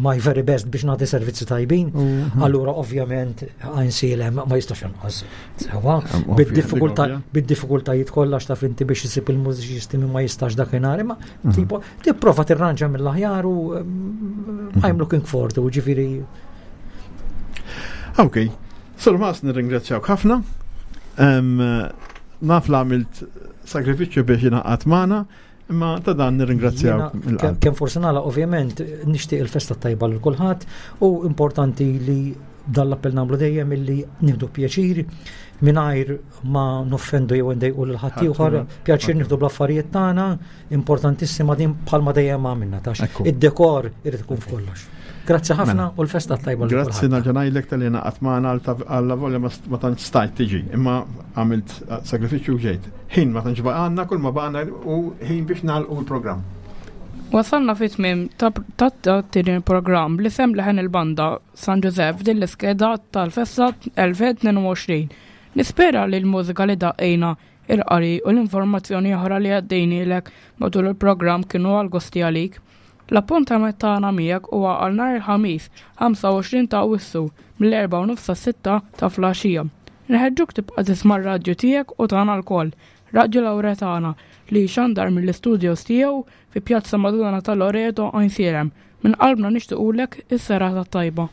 [SPEAKER 8] my very best biex nagħti servizzi tajbin, mhm. allura ovvjament għajnsielem ma jistax inqas. Sewa, bid-diffikultajiet kollha x'taf inti biex isib il-mużiċisti ma jistax dakinhar, imma mhm. tipo Tipprova tirranġa mill-aħjar u mm, I'm looking forward to, ġifieri.
[SPEAKER 3] Ok, Sur Mas nirringrazzjawk ħafna. Naf li għamilt sagrifiċċju biex ingħaqad magħna, imma ta' dan nirringrazzjawk.
[SPEAKER 8] Kemm forsi nagħlaq ovvjament nixtieq il-festa tajba lil kulħadd u importanti li dan l-appell nagħmlu dejjem illi nieħdu pjaċir mingħajr ma noffendu jew ndejqu lil ħaddieħor, pjaċir nieħdu bl-affarijiet tagħna, Importantissima din bħalma dejjem għamilna tax. Id-dekor irid ikun f'kollox. Grazzi ħafna mela. u l-festa tajba.
[SPEAKER 3] Grazzi nerġa' ngħidlek tal-li naqat magħna għalla volja ma tantx stajt tiġi, imma għamilt sagrifiċċju u ġejt. Ħin ma tantx baqgħanna kull ma baqgħna u ħin biex nagħlqu l-programm.
[SPEAKER 2] Wasalna fi tmiem ta' tieni programm li sem leħen il-banda San Ġużepp f'din l-iskeda tal-festa 2022. Nispera li l-mużika li daqqejna Il-qari u l-informazzjoni oħra li għaddejnielek matul il-programm kienu għal gosti għalik. L-appuntament tagħna miegħek huwa għal nhar il-Ħamis, 25 ta' Awwissu, mill-erbgħa u nofs sas-sitta ta' flaxija. Inħeġġuk tibqa' tisma' r-radju tiegħek u tagħna lkoll, Radju Lauretana, li jxandar mill-istudios tiegħu fi Pjazza Madonna ta' Loreto, Għajnsielem. Minn qalbna nixtiqulek is-serata t-tajba.